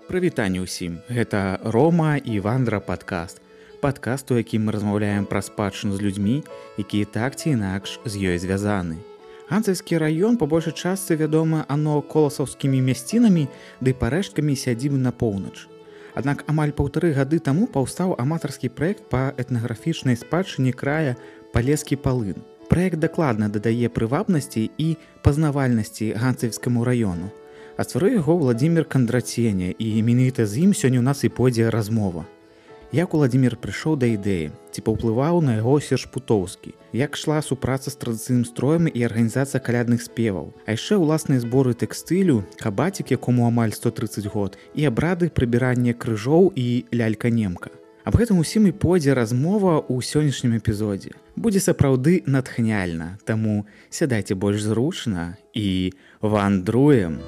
Прывітанне ўсім. Гэта Рома і Вандра падкаст. Падкаст, у якім мы размаўляем пра спадчыну з людзьмі, якія так ці інакш з ёй звязаны. Ганцавскі раён па большай частцы вядомы ано коласаўскімі мясцінамі ды парэшткамі сядзібы на поўнач. Аднак амаль 1,5 гады таму паўстаў аматарскі праект па этнаграфічнай спадчыне края Палескі Палын. Праект дакладна дадае прывабнасці і пазнавальнасці ганцавскаму раёну. А стварыў яго Владзімір Кандратсеня, і менавіта з ім сёння ў нас і пойдзе размова. Як Владзімір прыйшоў да ідэі, ці паўплываў на яго Серж Путоўскі, як ішла супраца з традыцыйным строем і арганізацыя калядных спеваў, а яшчэ ўласныя зборы тэкстылю, кабацік, якому амаль 130 год, і абрады прыбірання крыжоў і лялька-немка. Аб гэтым усім і пойдзе размова ў сённяшнім эпізодзе. Будзе сапраўды натхняльна, таму сядайце больш зручна і вандруем.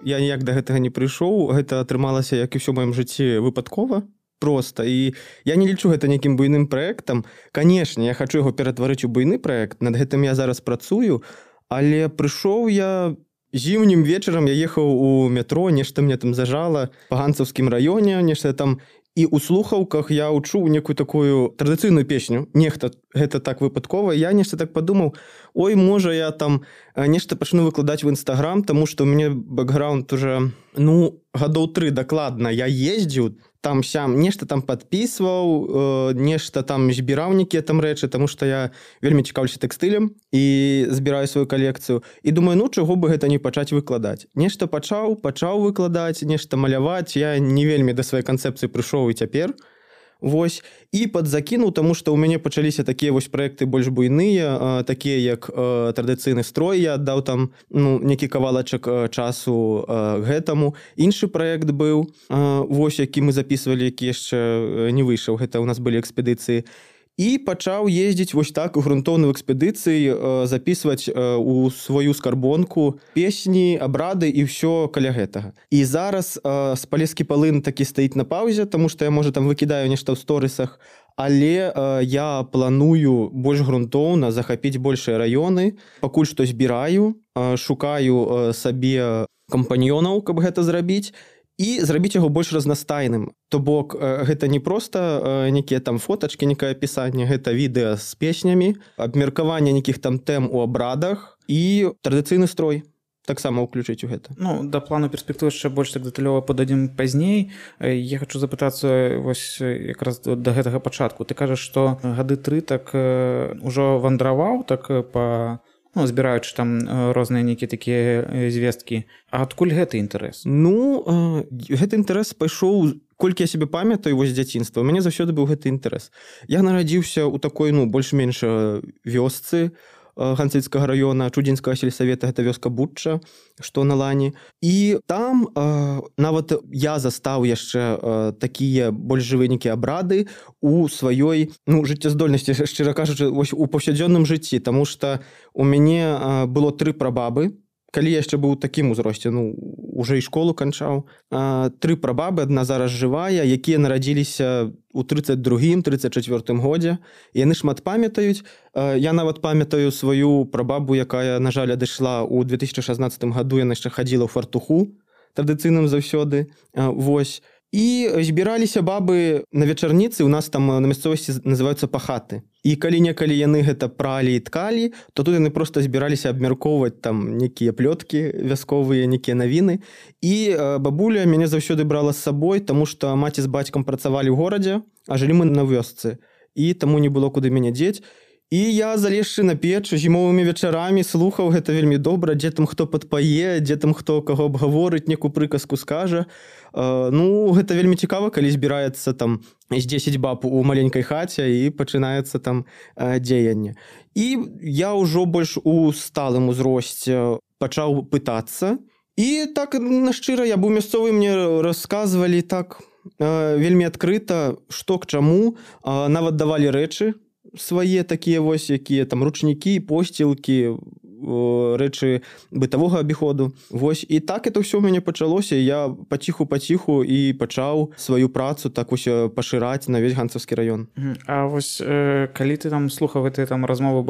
Я ніяк да гэтага не прыйшоў, гэта атрымалася, як і ўсё ў маім жыцці, выпадкова проста. І я не лічу гэта нейкім буйным праектам. Канешне, я хачу яго ператварыць у буйны праект, над гэтым я зараз працую, але прыйшоў я зімнім вечарам, я ехаў у метро, нешта мне там зажала па ганцаўскім раёне, нешта там, і ў слухаўках я ўчуў некую такую традыцыйную песню. Нехта гэта так выпадкова. Я нешта так падумаў, ой, можа, я там нешта пачну выкладаць в Інстаграм, таму што ў мяне бэкграунд уже, гадоў 3 дакладна. Я ездзіў там-сям, нешта там падпісваў, нешта там збіраў нейкія там рэчы, таму што я вельмі цікаўлюся тэкстылем і збіраю сваю калекцыю. І думаю, чаго бы гэта не пачаць выкладаць. Нешта пачаў выкладаць, нешта маляваць. Я не вельмі да сваёй канцэпцыі прыйшоў і цяпер. Вось, і падзакінуў, таму што ў мяне пачаліся такія вось праекты больш буйныя, такія як традыцыйны строй, я аддаў там некі кавалачак часу гэтаму. Іншы праект быў, вось, які мы запісвалі, які яшчэ не выйшаў, гэта ў нас былі экспедыцыі. І пачаў ездзіць вось так у грунтоўную экспедыцыі, запісваць у сваю скарбонку песні, абрады і ўсё каля гэтага. І зараз Палескі Палын такі стаіць на паўзе, таму што я, можа, там выкідаю нешта ў сторысах, але я планую больш грунтоўна захапіць большыя раёны, пакуль што збіраю, шукаю сабе кампаньёнаў, каб гэта зрабіць, і зрабіць яго больш разнастайным. То бок, гэта не проста нейкія там фотачкі, некае апісанне, гэта відэа з песнямі, абмеркаванне нейкіх там тэм у абрадах і традыцыйны строй таксама ўключыць у гэта. Да плану перспектывы яшчэ больш так дэталёва пададзім пазней. Я хачу запытацца вось якраз да гэтага пачатку. Ты кажаш, што гады 3 так ужо вандраваў так па збіраючы там розныя нейкія такія звесткі. А адкуль гэты інтарэс? Гэты інтарэс пайшоў, колькі я сябе памятаю, вось з дзяцінства. У мяне заўсёды быў гэты інтарэс. Я нарадзіўся ў такой, больш-менш вёсцы ганцавіцкага раёна, Чудзінскага сельсавета, гэта вёска Бучча, што на лані. І там нават я застаў яшчэ такія больш жывыя нейкія абрады у сваёй жыццяздольнасці, шчыра кажучы, вось у паўсядзённым жыцці, таму што у мяне было 3 прабабы. Калі я яшчэ быў у такім узросце, уже і школу канчаў, 3 прабабы, адна зараз жывая, якія нарадзіліся у 32-м, 34-м годзе. Яны шмат памятаюць. Я нават памятаю сваю прабабу, якая, на жаль, адышла ў 2016 году, яна яшчэ хадзіла ў фартуху, традыцыйным заўсёды. Вось. І збіраліся бабы на вечарніцы, у нас там на мясцовасці называюцца пахаты. І калі-некалі яны гэта пралі і ткалі, то тут яны проста збіраліся абмяркоўваць там некія плёткі вясковыя, некія навіны. І бабуля мяне заўсёды брала з сабой, таму што маці з бацькам працавалі ў горадзе, а жылі мы на вёсцы. І таму не было куды мяне дзець. І я, залезшы на печ, зімовымі вечарамі слухаў гэта вельмі добра, дзе там хто падпае, дзе там хто каго абгаворыць, некую прыказку скажа. Гэта вельмі цікава, калі збіраецца там з 10 баб у маленькай хаце і пачынаецца там дзеянне. І я ўжо больш у сталым узросце пачаў пытацца. І так, нашчыра, я быў мясцовы, мне расказвалі так вельмі адкрыта, што к чаму, нават давалі рэчы свае такія вось, якія там ручнікі, посцілкі, рэчы бытавога абіходу. Вось, і так это ўсё ў мяне пачалося, я паціху і пачаў сваю працу так вось пашыраць на весь ганцаўскі раён. А вось калі ты там слухаў гэтыя там размовы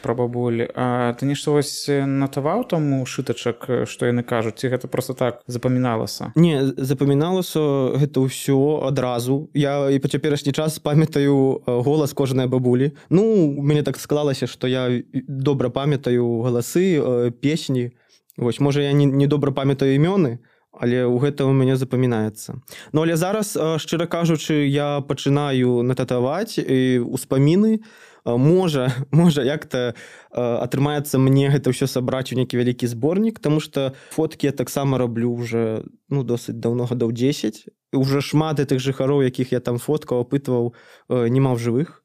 пра бабуль, ты нешта вось натаваў там у шытачак, што яны кажуць, ці гэта проста так запаміналася? Не, запаміналася гэта ўсё адразу. Я і па цяперашні час памятаю голас кожнай бабулі. Ну, у мяне так склалася, што я добра памятаю галасы, песні. Вось, можа, я не добра памятаю імёны, але ў гэта ў мяне запамінаецца. Ну, але зараз, шчыра кажучы, я пачынаю нататаваць успаміны. Можа, як-то атрымаецца мне гэта ўсё сабраць у нейкі вялікі зборнік, таму што фоткі я таксама раблю уже досыць даўно, гадоў 10. Уже шмат гэтых жыхароў, якіх я там фоткаў, апытваў, нема ў жывых.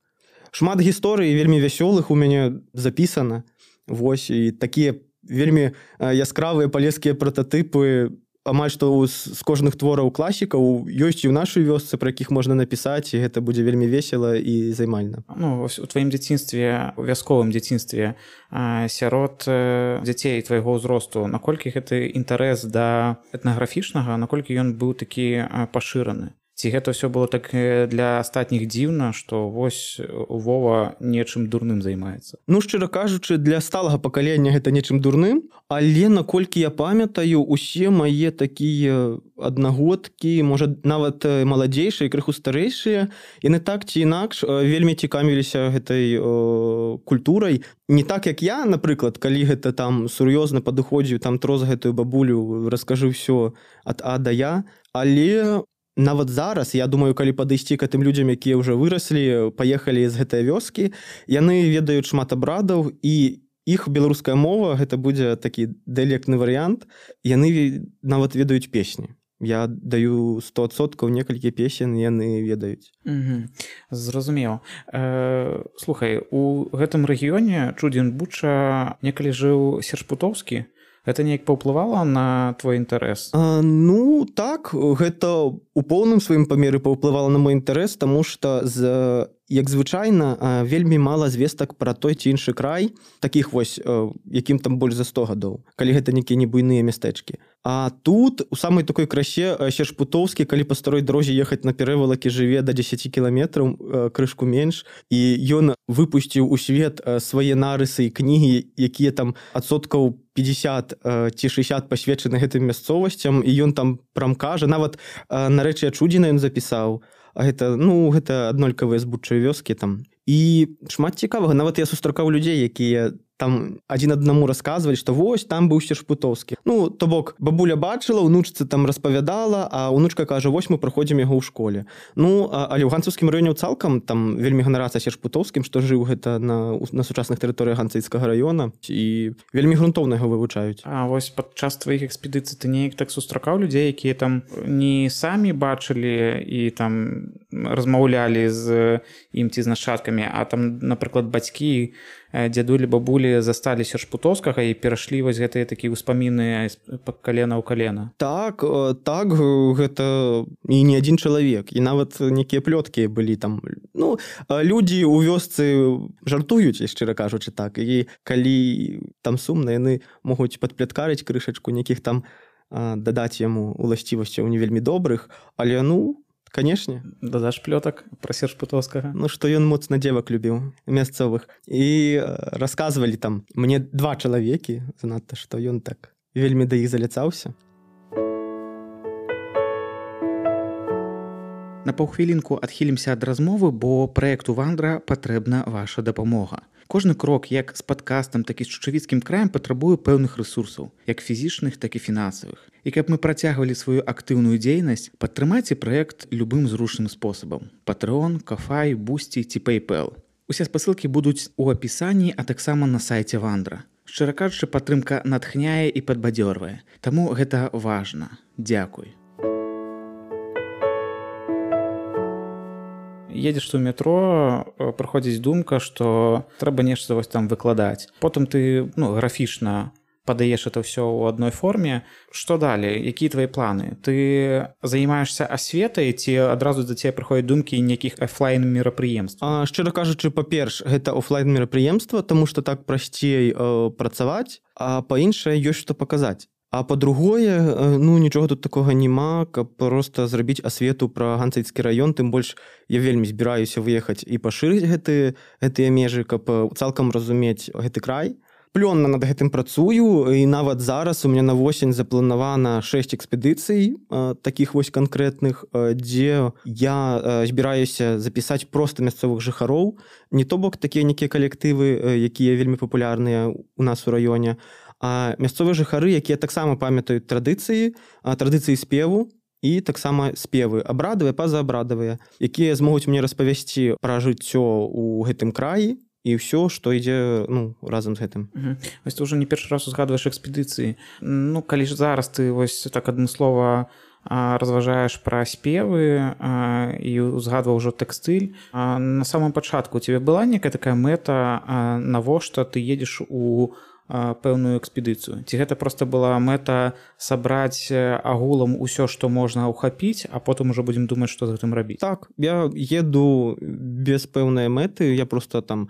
Шмат гісторый вельмі вясёлых у мяне запісана. Вось, і такія вельмі яскравыя палескія прататыпы амаль што з кожных твораў класікаў ёсць і ў нашай вёсцы, пра якіх можна напісаць, і гэта будзе вельмі весела і займальна. Ну, вось у тваім дзяцінстве, у вясковым дзяцінстве сярод дзяцей твайго ўзросту, наколькі гэты інтарэс да этнаграфічнага, наколькі ён быў такі пашыраны? Ці гэта ўсё было так для астатніх дзіўна, што вось Вова нечым дурным займаецца? Ну, шчыра кажучы, для сталага пакалення гэта нечым дурным, але наколькі я памятаю, усе мае такія аднагодкі, можа, нават маладзейшыя, крыху старэйшыя, яны так ці інакш вельмі цікавіліся гэтай культурай. Не так, як я, напрыклад, калі гэта там сур'ёзна падыходзіў, там троз гэтую бабулю, раскажы ўсё ад А да Я, але нават зараз, я думаю, калі падысці к гэтым людзям, якія ўжо выраслі, паехалі з гэтай вёскі, яны ведаюць шмат абрадаў, і іх беларуская мова, гэта будзе такі дыялектны варыянт, яны нават ведаюць песні. Я даю 100% некалькі песен, яны ведаюць. Зразумеў. Слухай, у гэтым рэгіёне Чудзін-Буча некалі жыў Серж Путоўскі. Гэта неяк паўплывала на твой інтарэс? Ну, так, гэта у поўным сваім памеры паўплывала на мой інтарэс, таму што, як звычайна, вельмі мала звестак пра той ці іншы край, такіх вось, якім там больш за 100 гадоў, калі гэта нейкія не буйныя мястэчкі. А тут, у самай такой красе, Серж Путоўскі, калі па старой дрозе ехаць на перавалакі, жыве да 10 кіламетраў, крышку менш, і ён выпусціў у свет свае нарысы і кнігі, якія там адсоткаў 50 ці 60 пасвечаны гэтым мясцовасцям, і ён там прям кажа, нават нарэчы Чудзіна ён запісаў, а гэта, гэта аднолькавыя збудчыя вёскі там. І шмат цікавага, нават я сустракаў людзей, якія там адзін аднаму расказвалі, што вось там быў Серж Путоўскі. Ну, то бок, бабуля бачыла, унучцы там распавядала, а унучка кажа, вось мы праходзім яго ў школе. Ну, але ў ганцаўскім раёне цалкам там вельмі ганарацца Серж Путоўскім, што жыў гэта на сучасных тэрыторыях ганцыйскага раёна, і вельмі грунтоўна яго вывучаюць. А вось падчас тваіх экспедыцый ты неяк так сустракаў людзей, якія там не самі бачылі і там размаўлялі з ім ці з нашчадкамі, а там, напрыклад, бацькі, дзядулі, бабулі засталі Серж Путоўскага і перайшлі вось гэтыя такія ўспаміны калена ў калена. Так, гэта і не адзін чалавек, і нават нейкія плёткі былі там. Ну, людзі ў вёсцы жартуюць, шчыра кажучы, так, і калі там сумна, яны могуць падпляткарыць крышачку, нейкіх там дадаць яму уласцівасцяў не вельмі добрых, але, канешне. Дадаш плётак пра Серж Путоўскага? Ну, што ён моцна дзевак любіў, мясцовых. І расказвалі там мне 2 чалавекі, занадта, што ён так вельмі да іх заляцаўся. На паўхвілінку адхілімся ад размовы, бо праекту «Вандра» патрэбна ваша дапамога. Кожны крок, як з падкастам, так і з Чучавіцкім краем, патрабуе пэўных рэсурсаў, як фізічных, так і фінансавых. І каб мы працягвалі сваю актыўную дзейнасць, падтрымайце праект любым зручным спосабам. Patreon, Ko-fi, Boosty ці PayPal. Усе спасылкі будуць у апісанні, а таксама на сайце «Вандра». Шчыра кажучы, падтрымка натхняе і падбадзёрвае. Таму гэта важна. Дзякуй. Едзеш у метро, прыходзіць думка, што трэба нешта вось там выкладаць. Потым ты графічна падаеш это ўсё ў адной форме. Што далей? Якія твои планы? Ты займаешься асветай ці адразу да цябе прыходзяць думкі нейкіх офлайн мерапрыемстваў? Шчыра кажучы, па-перш, гэта офлайн мерапрыемства, таму што так прасцей працаваць, а па-іншае ёсць што паказаць. А па-другое, нічога тут такога няма, каб проста зрабіць асвету пра Ганцавіцкі раён, тым больш я вельмі збіраюся выехаць і пашырыць гэтыя межы, каб цалкам разумець гэты край. Плённа над гэтым працую, і нават зараз у меня на восень запланавана 6 экспедыцый, такіх вось канкрэтных, дзе я збіраюся запісаць проста мясцовых жыхароў, не то бок такія нейкія калектывы, якія вельмі папулярныя ў нас у раёне, а мясцовыя жыхары, якія таксама памятаюць традыцыі спеву і таксама спевы абрадавыя, пазаабрадавыя, якія змогуць мне распавесці пра жыццё ў гэтым краі і ўсё, што ідзе разам з гэтым. Вось ты ўжо не першы раз узгадваеш экспедыцыі. Калі ж зараз ты вось так адмыслова разважаеш пра спевы і узгадваў ужо тэкстыль, на самом пачатку у цябе была некая такая мэта, навошта ты едзеш у пэўную экспедыцыю? Ці гэта проста была мэта сабраць агулам усё, што можна ўхапіць, а потым ужо будзем думаць, што з гэтым рабіць? Так, я еду без пэўнай мэты, я проста там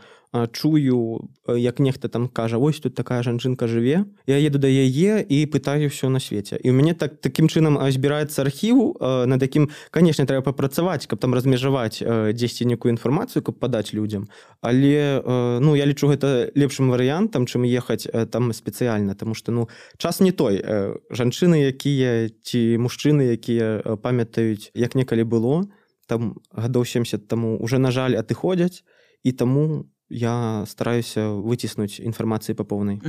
чую, як нехта там кажа, ось тут такая жанчынка жыве, я еду да яе і пытаю ўсё на свеце. І ў мяне такім чынам збіраецца архіў, над якім, канешне, трэба папрацаваць, каб там размежаваць дзесьці некую інфармацыю, каб падаць людзям. Але я лічу гэта лепшым варыянтам, чым ехаць там спецыяльна, таму што час не той. Жанчыны, якія ці мужчыны, якія памятаюць, як некалі было, там гадоў 70 таму уже, на жаль, адыходзяць, і таму я стараюся выціснуць інфармацыі па поўнай.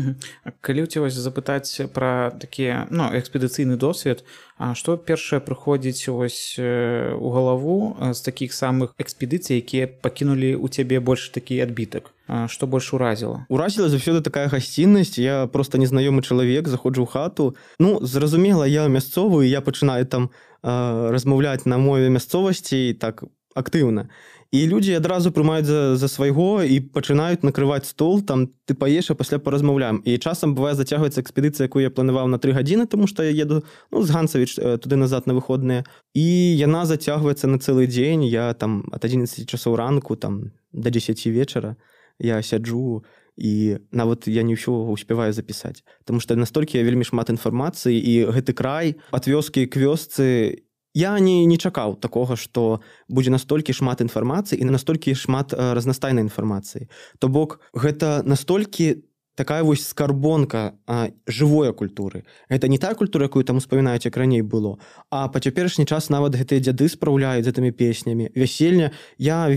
Калі ў цябе запытаць пра такі экспедыцыйны досвед, што першае прыходзіць у галаву з такіх самых экспедыцый, якія пакінулі ў цябе больш такі адбітак? Што больш уразіла? Уразіла заўсёды такая гасціннасць. Я проста незнаёмы чалавек, заходжу ў хату. Зразумела, я мясцовы, я пачынаю там размаўляць на мове мясцовасці так актыўна. І людзі адразу прымаюць за свайго і пачынаюць накрываць стол, там ты паеш, а пасля паразмаўляем. І часам бывае зацягваецца экспедыцыя, якую я планаваў на 3 гадзіны, таму што я еду з Ганцавіч туды-назад на выходныя. І яна зацягваецца на цэлы дзень. Я там ад 11 часоў ранку там да 10 вечара я сяджу, і нават я не ўсё успяваю запісаць. Таму што настолькі вельмі шмат інфармацыі, і гэты край ад вёскі к вёсцы, я не чакаў такога, што будзе настолькі шмат інфармацыі і настолькі шмат разнастайнай інфармацыі. То бок, гэта настолькі такая вось скарбонка жывой культуры. Гэта не тая культура, якую там успамінаюць, як раней было, а па цяперашні час нават гэтыя дзяды спраўляюць з гэтымі песнямі. Вяселля. Я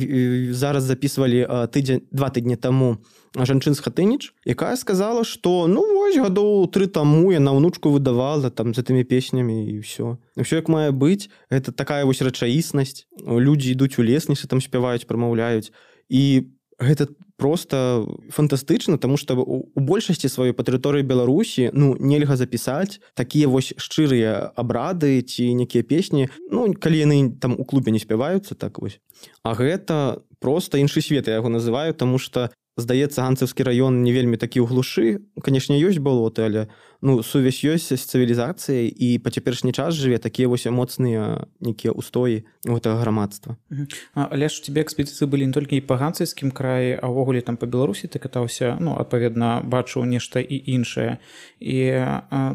зараз запісвалі 2 тыдні таму жанчын з Хатыніч, якая сказала, што вось гадоў 3 таму яна ўнучку выдавала там з гэтымі песнямі і ўсё. Усё як мае быць. Гэта такая вось рэчаіснасць. Людзі ідуць у лес, нешта там спяваюць, прамаўляюць. І гэта проста фантастычна, таму што у большасці сваёй па тэрыторыі Беларусі нельга запісаць такія вось шчырыя абрады ці некія песні, калі яны там у клубе не спяваюцца, так вось. А гэта проста іншы свет, я яго называю, таму што здаецца, Ганцавскі раён не вельмі такі ў глушы. Канешне, ёсць балоты, але сувязь ёсць з цывілізацыяй, і па цяперашні час жыве такія вось моцныя нейкія ўстоі гэтага грамадства. Але ж у цябе экспедыцыі былі не толькі і па Ганцавскім краі, а ўвогуле там па Беларусі ты катаўся, адпаведна, бачыў нешта і іншае. І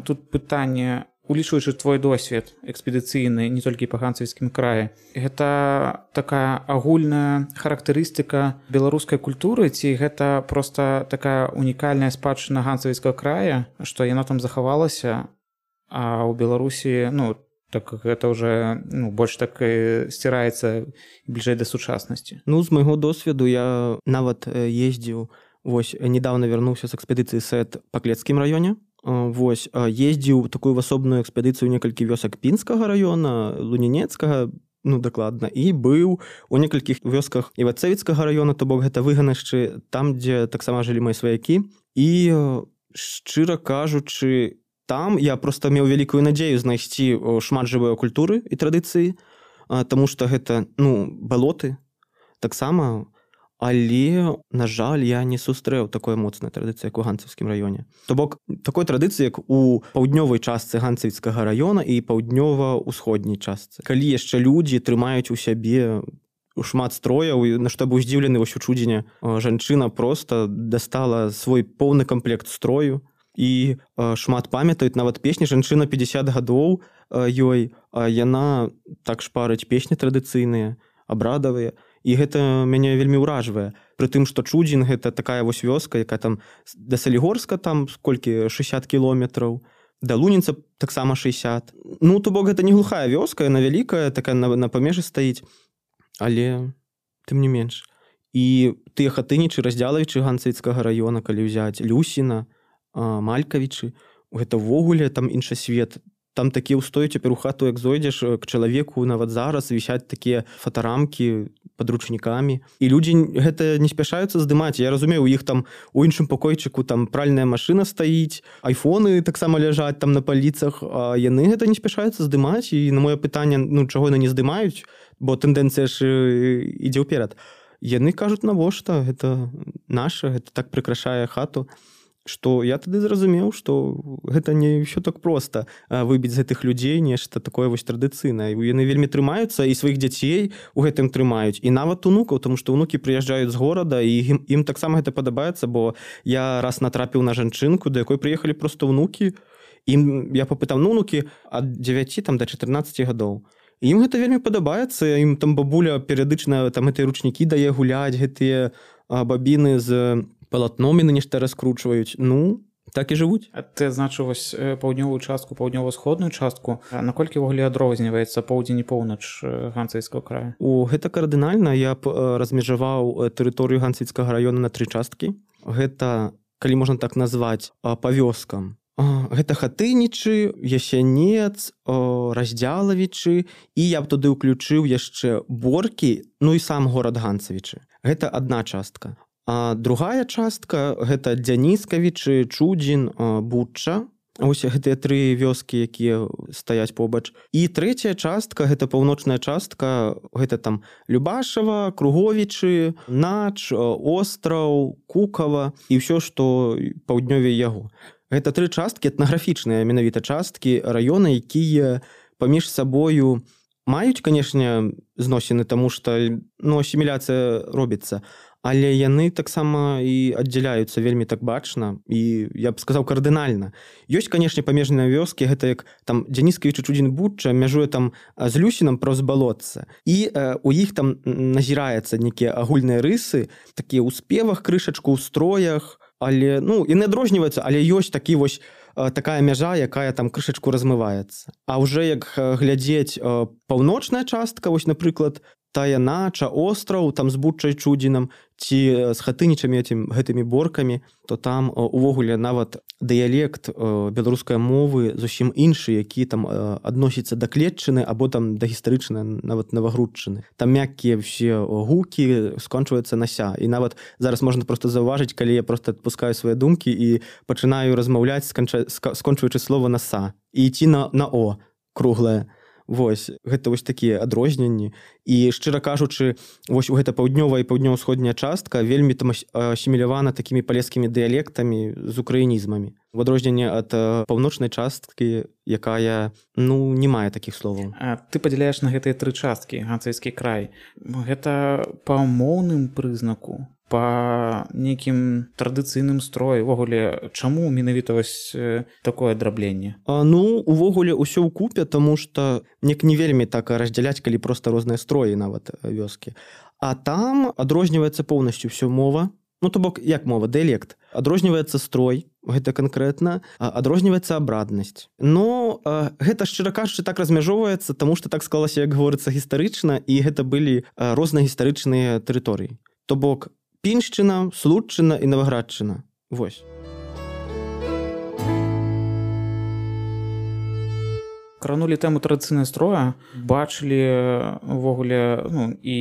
тут пытанне, улічваючы твой досвед экспедыцыйны не толькі па Ганцавскім краі, гэта такая агульная характарыстыка беларускай культуры, ці гэта проста такая унікальная спадчына Ганцавскага края, што яна там захавалася, а ў Беларусі так гэта ўжо больш так сціраецца бліжэй да сучаснасці? З майго досведу я нават ездзіў, вось нядаўна вярнуўся з экспедыцыі СЭТ па Клецкім раёне. Вось, ездзіў такую асобную экспедыцыю некалькі вёсак Пінскага раёна, Лунінецкага, дакладна, і быў у некалькіх вёсках Івацэвіцкага раёна, то бок гэта выганашчы, там, дзе таксама жылі мае сваякі. І, шчыра кажучы, там я проста меў вялікую надзею знайсці шмат жывой культуры і традыцыі, таму што гэта, балоты таксама. Але, на жаль, я не сустрэў такой моцнай традыцыі, як у ганцавскім раёне. То бок, такой традыцыі, як у паўднёвай частцы ганцавіцкага раёна і паўднёва-ўсходняй частцы. Калі яшчэ людзі трымаюць у сябе шмат строяў, на што быў здзіўлены вось у Чудзіне, жанчына проста дастала свой поўны камплект строю і шмат памятаюць нават песні. Жанчына 50 гадоў ёй, яна так шпарыць песні традыцыйныя, абрадавыя, і гэта мяне вельмі ўражвае. Пры тым, што Чудзін гэта такая вось вёска, якая там да Салігорска там колькі 60 кіложметраў, да Лунінца таксама 60. Ну, то бок гэта не глухая вёска, яна вялікая, такая на памежы стаіць, але тым не менш. І тыя хатынічы, раздзялавічы ганцавіцкага раёна, калі ўзяць Люсіна, Малькавічы, гэта ўвогуле там іншы свет. Там такія ўстоі, цяпер у хату, як зойдзеш, к чалавеку нават зараз вісяць такія фотарамкі падручнікамі. І людзі гэта не спяшаюцца здымаць. Я разумею, у іх там у іншым пакойчыку там пральная машына стаіць, айфоны таксама ляжаць там на паліцах, а яны гэта не спяшаюцца здымаць. І на маё пытанне, ну, чаго яны не здымаюць, бо тэндэнцыя ж ідзе ўперад. Яны кажуць, навошта, гэта наша, гэта так прыкрашае хату, што я тады зразумеў, што гэта не ўсё так проста выбіць з гэтых людзей нешта такое вось традыцыйнае. Яны вельмі трымаюцца і сваіх дзяцей у гэтым трымаюць, і нават унукаў, тому што ўнукі прыязджаюць з горада, і ім таксама гэта падабаецца, бо я раз натрапіў на жанчынку, да якой прыехалі проста ўнукі, я папытаў, ну, ўнукі ад 9 там, да 14 гадоў. Ім гэта вельмі падабаецца, ім там бабуля перыядычна там гэтыя ручнікі дае гуляць, гэтыя бабіны з палатном яны нешта раскручваюць. Ну, так і жывуць. А ты адзначыў вось паўднёвую частку, паўднёва-сходную частку. Наколькі ўвогуле адрозніваецца поўдзень і поўнач ганцавіцкага краю? Гэта кардынальна. Я б размежаваў тэрыторыю ганцавіцкага раёна на 3 часткі. Гэта, калі можна так назваць, па вёскам. Гэта хатынічы, Ясянец, Раздзялавічы, і я б туды ўключыў яшчэ Боркі, ну і сам горад Ганцавічы. Гэта адна частка. А другая частка гэта Дзяніскавічы, Чудзін, Бучча. Ось гэтыя 3 вёскі, якія стаяць побач. І трэцяя частка, гэта паўночная частка, гэта там Любашава, Круговічы, Нач, Остраў, Кукава і ўсё, што паўднёвей яго. Гэта 3 часткі, этнаграфічныя менавіта часткі раёна, якія паміж сабою маюць, канешне, зносіны, таму што, ну, асіміляцыя робіцца, але яны таксама і аддзяляюцца вельмі так бачна, і я б сказаў кардынальна. Ёсць, канешне, памежныя вёскі, гэта як там Дзяніскавіч і Чудзін, Бучча мяжуе там з Люсінам праз балотца. І у іх там назіраецца нейкія агульныя рысы, такія ў спевах крышачку, ў строях, але, ну, і не адрозніваецца, але ёсць такі вось такая мяжа, якая там крышачку размываецца. А ўжо як глядзець паўночная частка, вось, напрыклад, тая Нача, Остраў, там з Буччай, Чудзінам, ці з хатынічамі гэтымі Боркамі, то там увогуле нават дыялект беларускай мовы зусім іншы, які там адносіцца да клетчыны або там да гістарычнай, нават навагрудчыны. Там мяккія ўсе гукі скончваюцца на ся. І нават зараз можна проста заўважыць, калі я проста адпускаю свае думкі і пачынаю размаўляць, скончваючы слова на са. І ідці на о, круглае. Вось, гэта вось такія адрозненні. І, шчыра кажучы, вось у гэта паўднёвая і паўднёва-ўсходняя частка вельмі там асімілявана такімі палескімі дыялектамі з украінізмамі. У адрозненне ад паўночнай часткі, якая, ну, не мае такіх словаў. Ты падзяляеш на гэтыя 3 часткі ганцавіцкі край. Гэта па моўным прызнаку, па нейкім традыцыйным строі. Увогуле, чаму менавіта вось такое драбленне? Ну, увогуле ўсё ўкупе, таму што не вельмі так раздзяляць, калі проста розныя строі нават вёскі. А там адрозніваецца поўнасцю ўсё мова. Ну, то бок, як мова, дыялект. Адрозніваецца строй, гэта канкрэтна, адрозніваецца абраднасць. Но гэта, шчыра кажучы, так размяжоўваецца, таму што так склалася, як гаворыцца, гістарычна, і гэта былі розныя гістарычныя тэрыторыі. То бок, Піншчына, Слуцчына і Наваградчына. Вось. Кранулі тэму традыцыйнай строя, бачылі увогуле, ну, і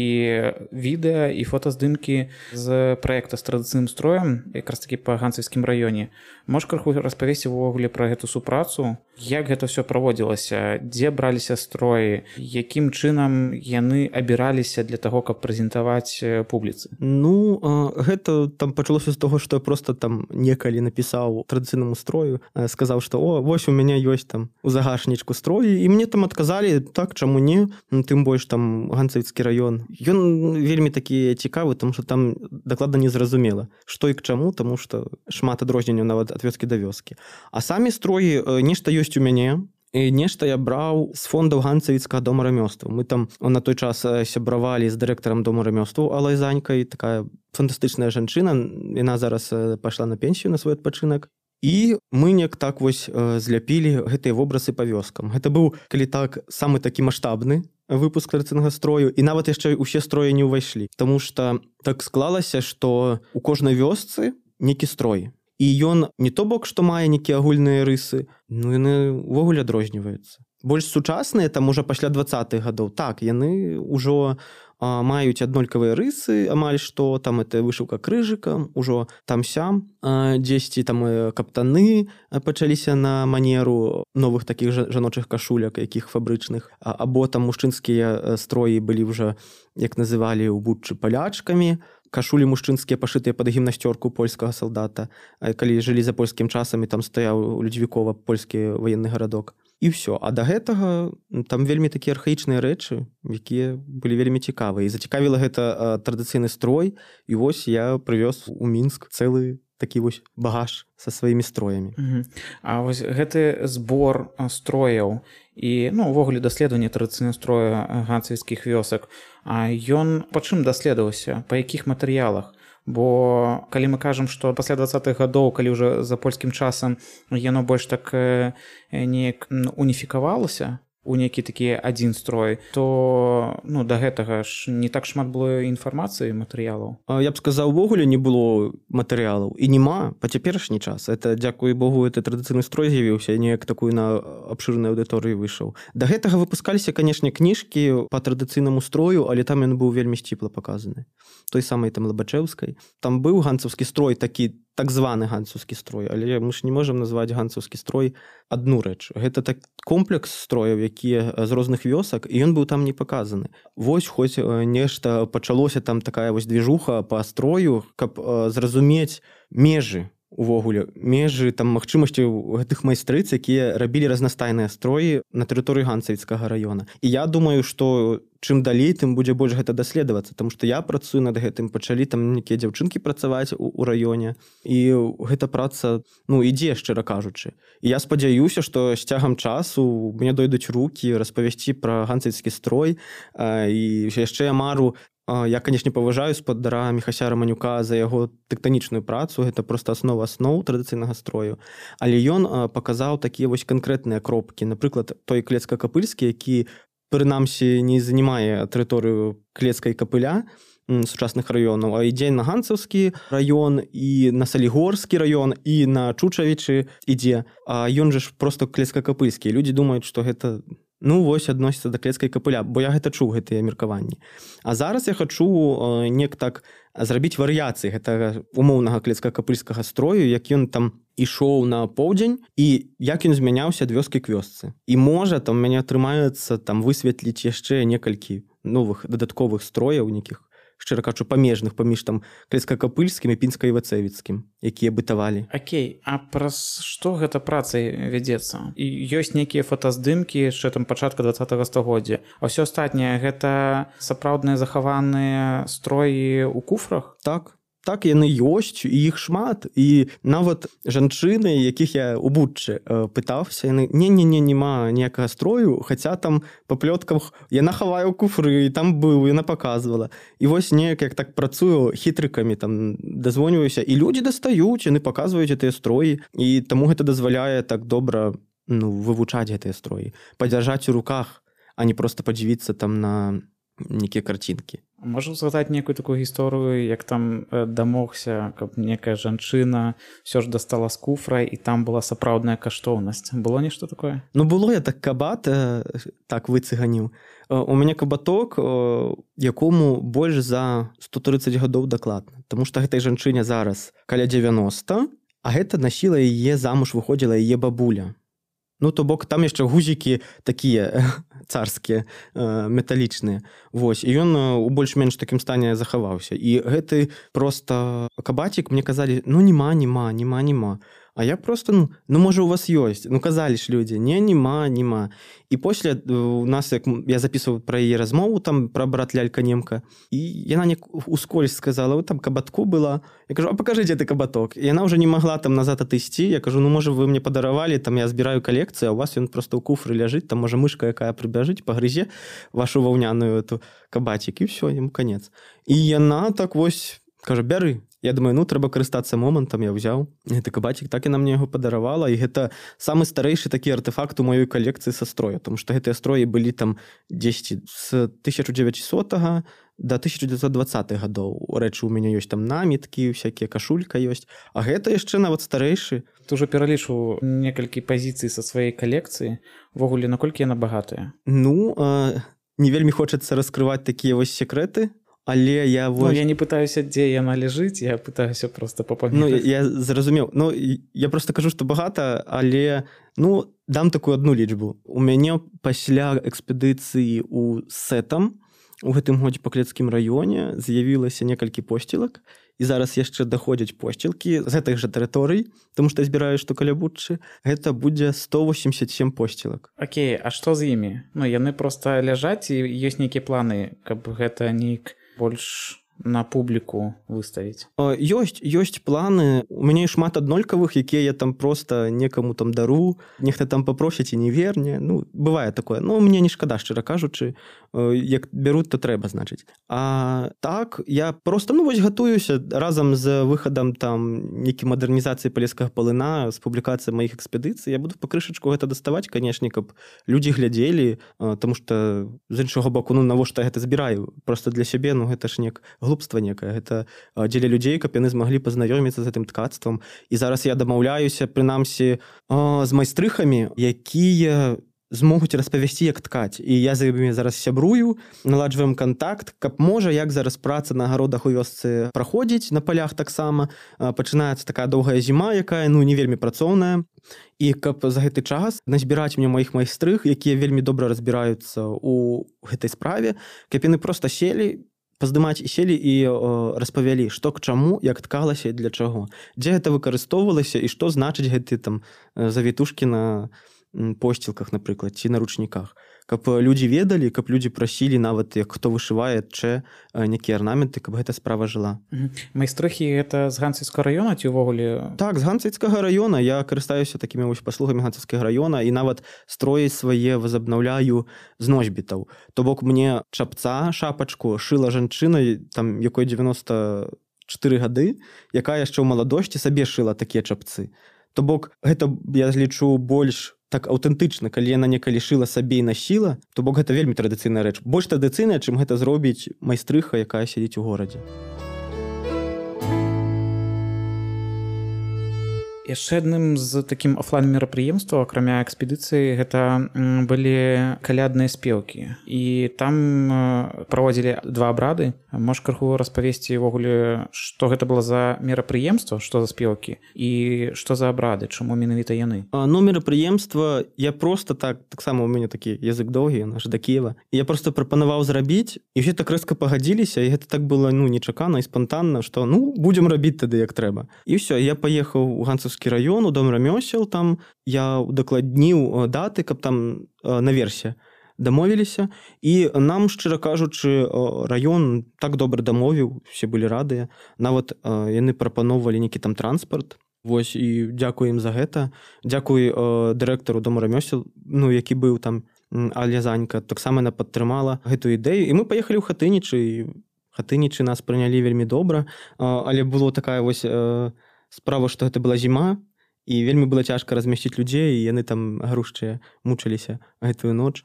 відэа, і фотаздымкі з праекта з традыцыйным строем, якраз такі па ганцавіцкім раёне. Можаш крыху распавесці увогуле пра гэту супрацу, Як гэта ўсё праводзілася, дзе браліся строі, якім чынам яны абіраліся для таго, каб прэзентаваць публіцы? Ну, гэта там пачалося з таго, што я проста там некалі напісаў традыцыйнаму строю, сказаў, што вось у мяне ёсць там у загашнічку строй, і мне там адказалі, так, чаму не, тым больш там Ганцавіцкі раён. Ён вельмі такі цікавы, тому што там дакладна незразумела, што і к чаму, таму што шмат адрозненняў нават ад вёскі да вёскі. А самі строі нешта ёсць у мяне, і нешта я браў з фондаў Ганцавіцкага дома рамёстваў. Мы там на той час сябравалі з дырэктарам дома рамёстваў Алай Занькай, такая фантастычная жанчына, яна зараз пайшла на пенсію на свой адпачынак. І мы неяк так вось зляпілі гэтыя вобразы па вёскам. Гэта быў, калі так, самы такі маштабны выпуск традыцыйнага строю, і нават яшчэ ўсе строі не ўвайшлі. Таму што так склалася, што ў кожнай вёсцы нейкі строй. І ён не то бок, што мае нейкія агульныя рысы, ну яны ўвогуле адрозніваюцца. Больш сучасныя, там ужо пасля 20-х гадоў, так, яны ўжо маюць аднолькавыя рысы, амаль што, там это вышыўка крыжыкам, ужо там-сям, дзесьці там каптаны пачаліся на манеру новых такіх жаночых кашуляк, якіх фабрычных, або там мужчынскія строі былі ўжо, як называлі ў Буччы, палячкамі, кашулі мужчынскія пашытыя пад гімнасцёрку польскага салдата, калі жылі за польскім часам, і там стаяў у Людзівікова польскі ваенны гарадок. І ўсё. А да гэтага там вельмі такія архаічныя рэчы, якія былі вельмі цікавыя. І зацікавіла гэта традыцыйны строй, і вось я прывёз у Мінск цэлы такі вось багаж са сваімі строямі. А вось гэты збор строяў і, ну, увогуле даследаванне традыцыйнага строя ганцавіцкіх вёсак, ён па чым даследаваўся, па якіх матэрыялах? Бо калі мы кажам, што пасля 20-х гадоў, калі ўжо за польскім часам яно больш так неяк уніфікавалася у нейкі такі адзін строй, то ну, да гэтага ж не так шмат было інфармацыі, матэрыялаў. Я б сказаў, увогуле не было матэрыялаў. І нема па цяперашні час. Это, дзякуй Богу, это традыцыйны строй з'явіўся, неяк такую на абшырнай аўдыторыі выйшаў. Да гэтага выпускаліся, канешне, кніжкі па традыцыйнаму строю, але там ён быў вельмі сціпла паказаны. Той самай там Лабачэўскай. Там быў ганцаўскі строй, такі так званы ганцаўскі строй, але мы ж не можам назваць ганцаўскі строй адну рэч. Гэта так комплекс строяў, якія з розных вёсак, і ён быў там не паказаны. Вось хоць нешта пачалося, там такая вось движуха па строю, каб зразумець межы увогуле, межы там магчымасці гэтых майстрыц, якія рабілі разнастайныя строі на тэрыторыі Ганцавіцкага раёна. І я думаю, што чым далей, тым будзе больш гэта даследавацца, таму што я працую над гэтым, пачалі там нейкія дзяўчынкі працаваць у раёне, і гэта праца, ну, ідзе, шчыра кажучы. І я спадзяюся, што з цягам часу мне дойдуць рукі распавесці пра ганцавіцкі строй, і яшчэ я мару. Я, канешне, паважаю спадара Міхася Раманюка за яго тэктанічную працу, гэта проста аснова асноў традыцыйнага строю. Але ён паказаў такія вось канкрэтныя кропкі. Напрыклад, той Клецка-Капыльскі, які, прынамсі, не занимае тэрыторыю Клецка і Капыля, сучасных раёнаў, а ідзе на Ганцаўскі раён, і на Салігорскі раён, і на Чучавічы ідзе. А ён же ж проста Клецка-Капыльскі. Людзі думаюць, што гэта... Ну, вось адносіцца да Клецка і Капыля, бо я гэта чуў, гэтыя меркаванні. А зараз я хачу неяк так зрабіць варыяцыі гэтага умоўнага Клецка-Капыльскага строю, як ён там ішоў на поўдзень, і як ён змяняўся ад вёскі к вёсцы. І можа, там мяне атрымаецца там высветліць яшчэ некалькі новых дадатковых строяў, нейкіх, шчыра кажучы, памежных паміж там Клецка-Капыльскім і Пінска-Івацэвіцкім, якія бытавалі. Окей, а праз што гэта праца вядзецца? І ёсць нейкія фотаздымкі яшчэ там пачатка 20-го стагоддзя, а ўсё астатняе гэта сапраўдныя захаваныя строі ў куфрах? Так, яны ёсць, і іх шмат, і нават жанчыны, якіх я у Буччы пытаўся, яны, нема ніякага строю, хаця там па плётках яна хавае ў куфры, і там быў, яна паказвала. І вось неяк, як так працую хітрыкамі, там дазвоніваюся, і людзі дастаюць, яны паказваюць гэтыя строі, і таму гэта дазваляе так добра, ну, вывучаць гэтыя строі, падзяржаць у руках, а не проста падзівіцца там на нейкія карцінкі. Можа згадаць некую такую гісторыю, як там дамогся, каб некая жанчына ўсё ж дастала з куфра, і там была сапраўдная каштоўнасць. Было нешта такое? Ну, было, я так кабат так выцыганіў. У мяне кабаток, якому больш за 130 гадоў дакладна. Таму што гэтай жанчыне зараз каля 90, а гэта насіла яе замуж, выходзіла яе бабуля. Ну то бок там яшчэ гузікі такія царскія металічныя. Вось і ён у больш-менш такім стане захаваўся. І гэты просто кабацік мне казалі: ну нема. А я просто, ну можа у вас ёсць. Ну казалі ж людзі: нема. І пасля у нас, як я записываў пра яе размову там пра брат лялька немка, і яна не ускользь сказала: вот там кабатку была. Я кажу: а покажыце ты кабаток. І яна ўжо не магла там назад атысці. Я кажу: ну можа вы мне падаравалі, там я збіраю калекцыю, а у вас ён просто ў куфры ляжыць, там можа мышка якая прыбяжыць, пагрызе вашу ваўняную эту кабацік, і все, яму канец. І яна так вось кажа: бяры. Я думаю, ну трэба карыстацца момантам, я ўзяў гэты кабацік, так яна мне яго падаравала, і гэта самы старэйшы такі артэфакт у маёй калекцыі са строя, тому што гэтыя строі былі там дзесьці з 1900 до 1920 гадоў. Рэчы, у мяне ёсць там наміткі, всякія, кашулька ёсць, а гэта яшчэ нават старэйшы. Ты ўжо пералічыў некалькі пазіцый са сваёй калекцыі. Увогуле, наколькі яна багатая? Ну, не вельмі хочацца раскрываць такія вось секрэты, але я вось... Ну, я не пытаюся, дзе яна ляжыць, я пытаюся просто папамятаць. Ну, я зразумеў. Ну, я просто кажу, што багата, але, ну, дам такую одну лічбу. У мяне пасля экспедыцыі у Сетам у гэтым годзе па Клецкім раёне з'явілася некалькі посцілак, і зараз яшчэ даходзяць посцілкі з гэтых жа тэрыторый, тому што я збіраю, што каля Буччы, гэта будзе 187 посцілак. Окей, а што з імі? Ну, яны проста ляжаць, і ёсць нейкія планы, каб гэта нейк больш на публіку выставіць? Ёсць планы. У мяне шмат аднолькавых, якія я там просто некаму там дару, нехта там папросіць і не верне. Ну, бывае такое. Ну, мне не шкада, шчыра кажучы. Як бяруць, то трэба, значыць. А так, я просто, ну, вось гатуюся разам з выхадам там нейкай мадэрнізацыі палескага палына, з публікацыяй маіх экспедыцый. Я буду пакрышачку гэта даставаць, канешне, каб людзі глядзелі, таму што з іншага боку, ну, навошта я гэта збіраю? Просто для сябе, ну, гэта ж глупства некае. Гэта дзеля людзей, каб яны змаглі пазнаёміцца з гэтым ткацтвам. І зараз я дамаўляюся, прынамсі, з майстрыхамі, якія змогуць распавясці, як ткаць. І я за імі зараз сябрую, наладжваем кантакт, каб можа, як зараз праца на агародах у вёсцы праходзіць, на палях таксама. Пачынаецца такая доўгая зіма, якая, ну, не вельмі працоўная. І каб за гэты час назбіраць мне маіх майстрых, якія вельмі добра разбіраюцца ў гэтай справе, каб яны проста селі, паздымаць і селі і распавялі, што к чаму, як ткалася і для чаго. Дзе гэта выкарыстоўвалася і што значыць гэты там завітушкі на посцілках, напрыклад, ці на ручніках. Каб людзі ведалі, каб людзі прасілі, нават як хто вышывае яшчэ нейкія арнаменты, каб гэта справа жыла. Майстрыхі гэта з Ганцавіцкага раёна ці ўвогуле? Так, з Ганцавіцкага раёна. Я карыстаюся такімі вось паслугамі Ганцавіцкага раёна і нават строі свае возабнаўляю з носьбітаў. То бок мне чапца, шапачку шыла жанчына, там якой 94 гады, якая яшчэ ў маладосці сабе шыла такія чапцы. То бок гэта, я лічу, больш так аўтэнтычна, калі яна некалі шыла сабе і насіла, то бок гэта вельмі традыцыйная рэч. Больш традыцыйная, чым гэта зробіць майстрыха, якая сядзіць у горадзе. Яшчэ адным з такім офлайн-мерапрыемстваў, акрамя экспедыцыі, гэта былі калядныя спеўкі. І там праводзілі 2 абрады. Можаш крыху распавесці ўвогуле, што гэта было за мерапрыемства, што за спеўкі і што за абрады, чаму менавіта яны? Ну, мерапрыемства я проста таксама у мяне такі язык доўгі, наш да Кіева. Я проста прапанаваў зрабіць, і ўсе так рэзка пагадзіліся, і гэта так было, ну, нечакана і спантанна, што, ну, будзем рабіць тады, як трэба. І ўсё, я паехаў у Ганцавскі раён, у дом рамёсел, там я удакладніў даты, каб там наверсе дамовіліся, і нам, шчыра кажучы, раён так добра дамовіў, усе былі радыя, нават яны прапаноўвалі нейкі там транспарт. Вось, і дзякую ім за гэта. Дзякуй дырэктару дома рамёсел, ну, які быў там, Алязанька, таксама яна падтрымала гэту ідэю, і мы паехалі ў Хатынічы, і Хатынічы нас прынялі вельмі добра, але было такая вось справа, што гэта была зіма, і вельмі было цяжка размясціць людзей, і яны там грушчыя мучыліся гэтую ноч.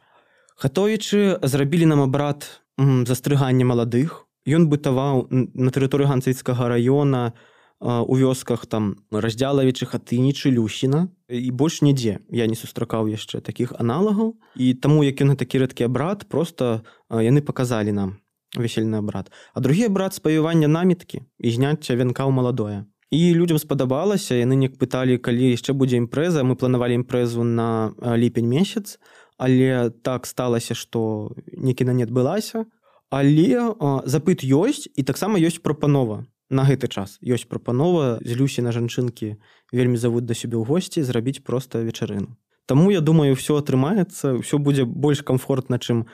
Хатовічы зрабілі нам абрад застрыгання маладых. Ён бытаваў на тэрыторыі Ганцавіцкага раёна, у вёсках там Раздзялавічы, Хатынічы, Люсіна, і больш нідзе я не сустракаў яшчэ такіх аналагаў. І таму, як ён такі рэдкі абрад, проста яны паказалі нам весельны абрад. А другі абрад — спавівання наміткі і зняцця вянка ў маладое. І людзям спадабалася, яны неяк пыталі, калі яшчэ будзе імпрэза. Мы планавалі імпрэзу на ліпень месяц, але так сталася, што некіна не адбылася. Але запыт ёсць, і таксама ёсць прапанова. На гэты час ёсць прапанова з Люсі на жанчынкі вельмі завуць да сябе ў госці зрабіць проста вечарыну. Таму, я думаю, ўсё атрымаецца, ўсё будзе больш камфортна, чым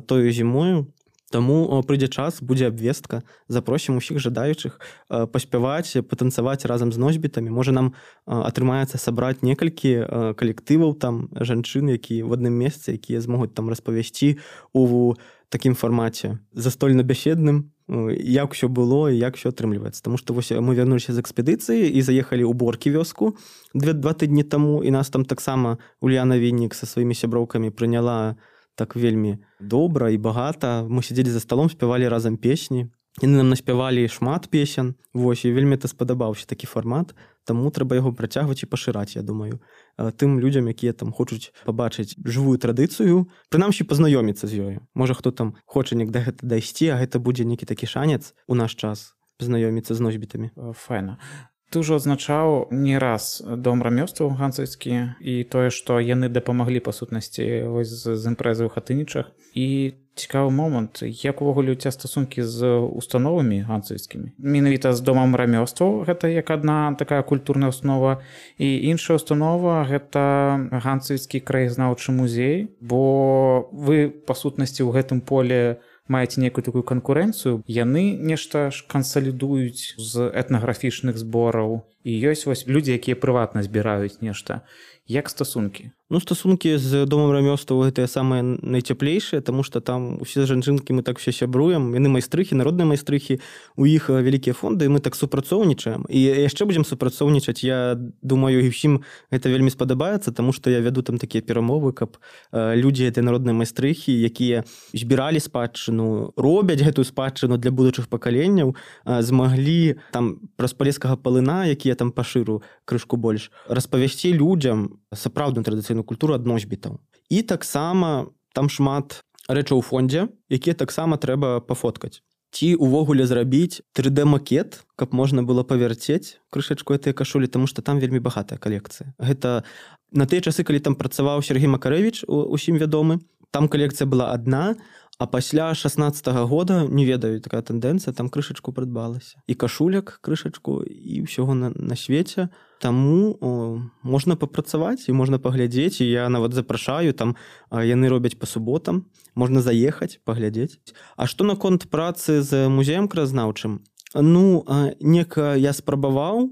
тою зімою. Таму прыйдзе час, будзе абвестка, запросім усіх жадаючых паспяваць, патанцаваць разам з носьбітамі. Можа, нам атрымаецца сабраць некалькі калектываў там жанчын, якія в адным месцы, якія змогуць там распавясці у такім фармаце застольна-бяседным, як усё было і як усё атрымліваецца. Таму што вось мы вярнуліся з экспедыцыі і заехалі ў Боркі вёску 2 тыдні таму, і нас там таксама Ульяна Віннік са сваімі сяброўкамі прыняла так вельмі добра і багата. Мы сядзелі за сталом, спявалі разам песні. Яны нам наспявалі шмат песен. Вось, і вельмі спадабаўся такі фармат. Таму трэба яго працягваць і пашыраць, я думаю. Тым людзям, якія там хочуць пабачыць жывую традыцыю, прынамсі пазнаёміцца з ёю. Можа, хто там хоча неяк да гэта дайсці, а гэта будзе нейкі такі шанец у наш час пазнаёміцца з носьбітамі. Файна. Ты ўжо адзначаў не раз дом рамёстваў ганцавскі і тое, што яны дапамаглі па сутнасці з імпрэзай у Хатынічах. І цікавы момант, як увогуле у цябе стасункі з установамі ганцавскімі? Менавіта з домам рамёстваў, гэта як адна такая культурная установа, і іншая установа гэта ганцавскі краязнаўчы музей, бо вы па сутнасці ў гэтым поле маеце некую такую канкурэнцыю, яны нешта ж кансалідуюць з этнаграфічных збораў, і ёсць вось людзі, якія прыватна збіраюць нешта. Як стасункі? Ну, стасункі з домам рамёстваў гэтыя самыя найцяплейшыя, таму што там усе жанчынкі мы так все сябруем, яны майстрыхі, народныя майстрыхі, у іх вялікія фонды, і мы так супрацоўнічаем. І яшчэ будзем супрацоўнічаць. Я думаю, і ўсім гэта вельмі спадабаецца, таму што я вяду там такія перамовы, каб людзі гэтыя народныя майстрыхі, якія збіралі спадчыну, робяць гэтую спадчыну для будучых пакаленняў, змаглі там праз палескага палына, які я там пашыру крышку больш, распавясці людзям сапраўдную традыцыйную культуру ад носьбітаў. І таксама там шмат рэчаў у фондзе, якія таксама трэба пафоткаць. Ці увогуле зрабіць 3D-макет, каб можна было павярцець крышачку гэтыя кашулі, таму што там вельмі багатая калекцыя. Гэта на тыя часы, калі там працаваў Сергей Макарэвіч, усім вядомы, там калекцыя была адна, а пасля 16-го года, не ведаю, такая тэндэнцыя, там крышачку прыдбалася. І кашуляк, крышачку, і ўсяго на свеце. Таму можна папрацаваць і можна паглядзець, і я нават запрашаю, там яны робяць па суботам, можна заехаць, паглядзець. А што наконт працы з музеем краязнаўчым? Ну, нека я спрабаваў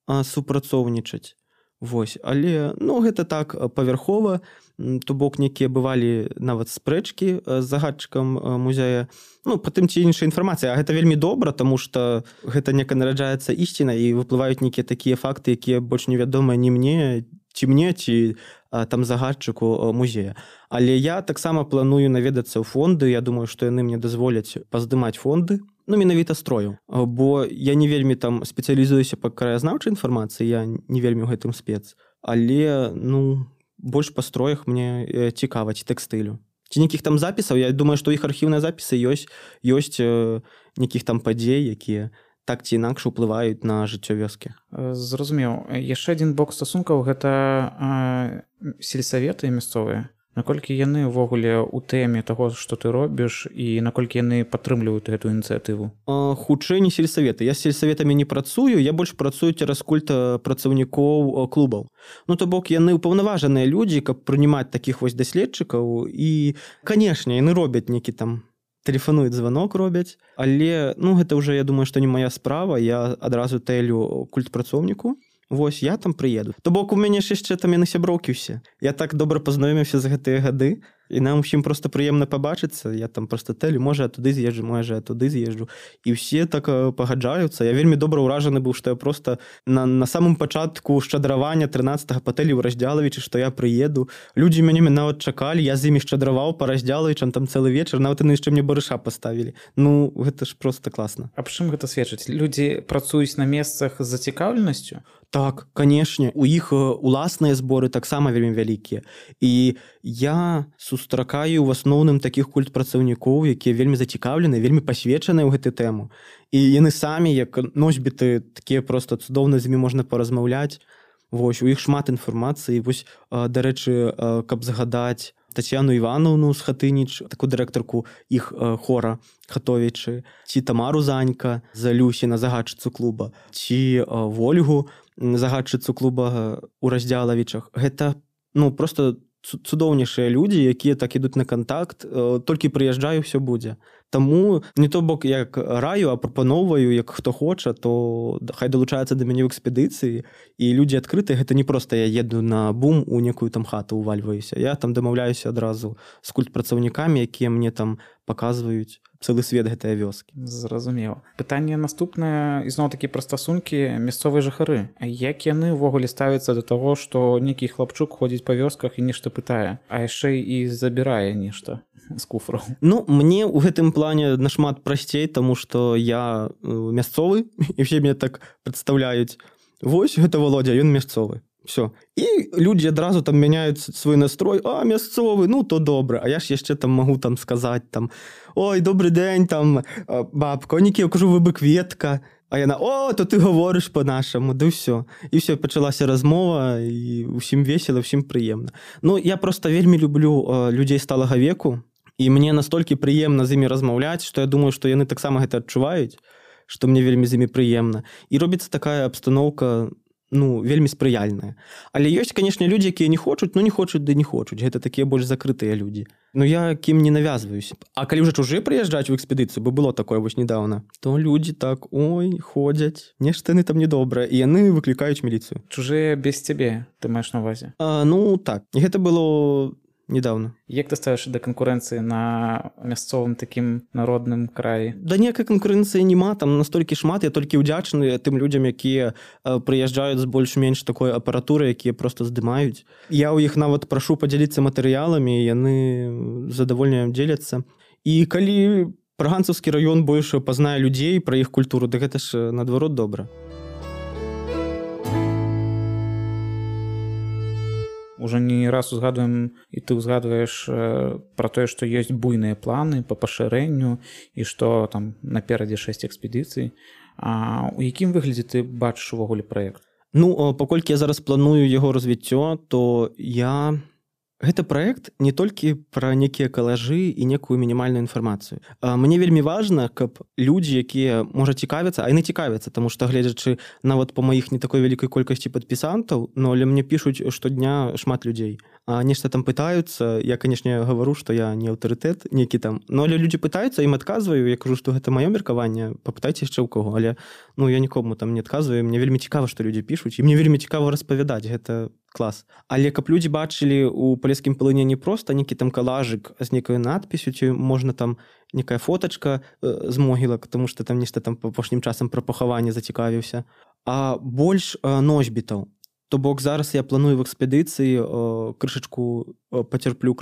супрацоўнічаць, вось, але, ну, гэта так павярхова, то бок некія бывалі нават спрэчкі з загадчыкам музея, ну, па тым ці іншая інфармацыя, а гэта вельмі добра, таму што гэта нека нараджаецца ісціна і выплываюць нейкія такія факты, якія больш невядомыя ні мне, ці там загадчыку музея. Але я таксама планую наведацца ў фонды, я думаю, што яны мне дазволяць паздымаць фонды, ну, менавіта строю, бо я не вельмі там спецыялізуюся па краязнаўчай інфармацыі, я не вельмі ў гэтым спец, але, ну, больш па строях мне цікава, ці тэкстылю. Ці нейкіх там запісаў, я думаю, што іх архіўныя запісы ёсць нейкіх там падзей, якія так ці інакш уплываюць на жыццё вёскі. Зразумеў. Яшчэ адзін бок стасункаў гэта сельсаветы мясцовыя. Наколькі яны ўвогуле ў тэме таго, што ты робіш, і наколькі яны падтрымліваюць гэтую ініцыятыву? Хутчэй не сельсаветы. Я з сельсаветамі не працую, я больш працую цераз культ працаўнікоў клубаў. Ну, то бок, яны ўпаўнаважаныя людзі, каб прынимаць такіх вось даследчыкаў, і, канешне, яны робяць нейкі там тэлефануюць, званок робяць, але, ну, гэта ўжо, я думаю, што не моя справа, я адразу тэлю культ працоўніку. Вось, я там прыеду. То бок, у мяне ж яшчэ там яны сяброўкі ўсе. Я так добра пазнаёміўся за гэтыя гады, і нам усім проста прыемна пабачыцца. Я там проста тэлю, можа, я туды з'езджу, можа, я туды з'езджу. І ўсе так пагаджаюцца. Я вельмі добра ўражаны быў, што я проста на самым пачатку шчадравання 13-го па тэлі ў Раздзялавічы, што я прыеду. Людзі мяне нават чакалі, я з імі шчадраваў па Раздзялавічам там цэлы вечар, нават яны яшчэ мне барыша паставілі. Ну, гэта ж проста класна. А чым гэта сведчыць? Людзі працуюць на месцах з зацікаўленасцю? Так, канешне, у іх уласныя зборы таксама вельмі вялікія. І я сустракаю в асноўным такіх культпрацаўнікоў, якія вельмі зацікаўлены, вельмі пасвечаныя ў гэтую тэму. І яны самі, як носьбіты, такія проста цудоўна, з імі можна паразмаўляць. Вось, у іх шмат інфармацыі. Вось, дарэчы, каб згадаць Тацьяну Івановну з Хатыніч, такую дырэктарку іх хора Хатовічы, ці Тамару Занька з Люсіна, загадчыцу клуба, ці Вольгу, загадчыцу клуба у Раздзялавічах. Гэта, просто цудоўнейшыя людзі, якія так ідуць на кантакт, толькі прыязджаю, ўсё будзе. Таму не то бок як раю, а прапаноўваю, як хто хоча, то хай далучаецца да мяне ў экспедыцыі, і людзі адкрытыя, гэта не проста я еду на бум у некую там хату увальваюся. Я там дамаўляюся адразу з культпрацаўнікамі, якія мне там паказваюць цэлы свет гэтыя вёскі. Зразумела. Пытанне наступнае, ізноў-такі пра стасункі мясцовыя жыхары. Як яны ўвогуле ставяцца да таго, што нейкі хлапчук ходзіць па вёсках і нешта пытае, а яшчэ і забірае нешта з куфраў? Мне ў гэтым плане нашмат прасцей, таму што я мясцовы, і ўсе мяне так прадстаўляюць. Вось, гэта Володя, ён мясцовы. Все. І людзі адразу там мяняюць свой настрой. Мясцовы, то добра. А я ж яшчэ там магу там сказаць там: ой, добры дзень, там, бабка, я кажу, вы бы кветка. А яна: то ты гаворыш па-нашаму, да ўсё. І ўсё, пачалася размова, і ўсім весела, ўсім прыемна. Я проста вельмі люблю людзей сталага веку, і мне настолькі прыемна з імі размаўляць, што я думаю, што яны таксама гэта адчуваюць, што мне вельмі з імі прыемна. І робіцца такая абстаноўка, вельмі спрыяльная. Але ёсць, канешне, людзі, якія не хочуць, не хочуць, ды не хочуць. Гэта такія больш закрытыя людзі. Я кім не навязваюся. А калі ўжо чужыя прыязджаць у экспедыцыю, бо было такое вось недавно, то людзі так, ходзяць, нешта яны там недобрае, і яны выклікаюць міліцыю. Чужыя без цябе, ты маеш на ўвазе? Так. І гэта было недавно. Як ты ставіш да канкурэнцыі на мясцовым такім народным краі? Да ніякай канкурэнцыі няма, там настолькі шмат, я толькі ўдзячны тым людзям, якія прыязджаюць з больш-менш такой апаратуры, якія проста здымаюць. Я ў іх нават прашу падзяліцца матэрыяламі, яны задавольна дзеляцца. І калі Праганцаўскі раён больш пазнае людзей пра іх культуру, гэта ж наадварот добра. Уже не раз узгадваем, і ты узгадваеш пра тое, што ёсць буйныя планы па пашырэнню і што там наперадзе 6 экспедыцый. У якім выглядзе ты бачыш увогуле праект? Паколькі я зараз планую яго развіццё, то гэта праект не толькі пра нейкія калажы і некую мінімальную інфармацыю. Мне вельмі важна, каб людзі, якія, можа, цікавяцца, а яны цікавяцца, таму што, гледзячы нават па маіх не такой вялікай колькасці падпісантаў, але мне пішуць штодня шмат людзей. Нешта там пытаюцца, я, канешне, гавару, што я не аўтарытэт нейкі там, але людзі пытаюцца, ім адказваю, я кажу, што гэта маё меркаванне, папытайце яшчэ ў каго, але я нікому там не адказваю, мне вельмі цікава, што людзі пішуць, і мне вельмі цікава распавядаць, гэта клас. Але каб людзі бачылі ў палескім палыне не проста нейкі там калажык з нейкай надпісю, ці можна там некая фотачка з могілак, тому што там нешта там апошнім часам пра пахаванне зацікавіўся, а больш носьбітаў. То бок зараз я планую в экспедыцыі крышачку пацярплю,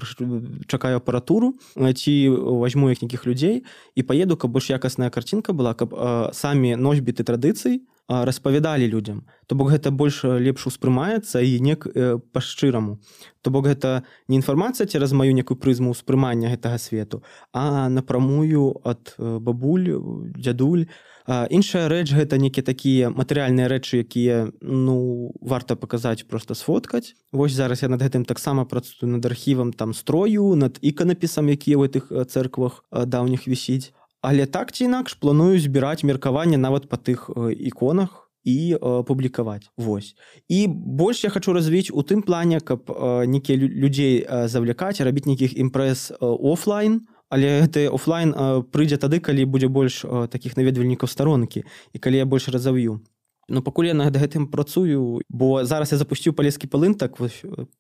чакаю апаратуру, ці возьму якіх людзей і паеду, каб больш якасная карцінка была, каб самі носьбіты традыцый распавядалі людзям. То бок гэта больш лепш успрымаецца і нек па-шчыраму. То бок гэта не інфармацыя цераз маю некую прызму ўспрымання гэтага свету, а напрамую ад бабуль, дзядуль. Іншая рэч гэта нейкія такія матэрыяльныя рэчы, якія варта паказаць, проста сфоткаць. Вось зараз я над гэтым таксама працую, над архівам там строю, над іканапісам, якія ў гэтых цэрквах даўніх вісіць. Але так ці інакш планую збіраць меркаванне нават па тых іконах і публікаваць. Вось. І больш я хачу развіць у тым плане, каб нейкія людзей завлякаць, рабіць нейкіх імпрэз офлайн, але гэты офлайн прыйдзе тады, калі будзе больш такіх наведвальнікаў старонкі і калі я больш разав'ю. Пакуль я над гэтым працую, бо зараз я запусціў палескі палын, так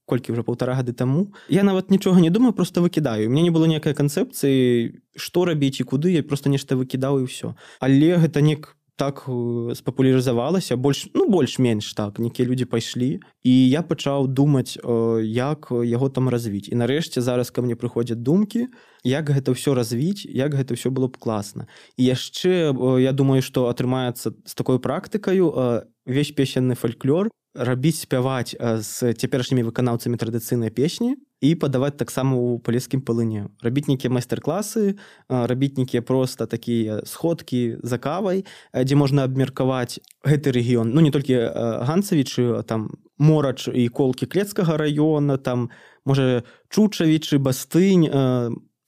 колькі ўжо 1,5 гады таму, я нават нічога не думаю, проста выкідаю. У мяне не было ніякай канцэпцыі, што рабіць і куды, я проста нешта выкідаў і ўсё. Але гэта так спапулярызавалася, больш-менш так, нейкія людзі пайшлі, і я пачаў думаць, як яго там развіць. І нарэшце зараз ка мне прыходзяць думкі, як гэта ўсё развіць, як гэта ўсё было б класна. І яшчэ, я думаю, што атрымаецца з такой практыкаю увесь песенны фальклор рабіць, спяваць з цяперашнімі выканаўцамі традыцыйнай песні, і падаваць таксама ў палескім палыне. Рабіць нейкія майстар-класы, рабіць нейкія проста такія сходкі за кавай, дзе можна абмеркаваць гэты рэгіён. Ну, не толькі Ганцавічы, там Морач і Колкі Клецкага раёна, там, можа, Чучавічы, Бастынь,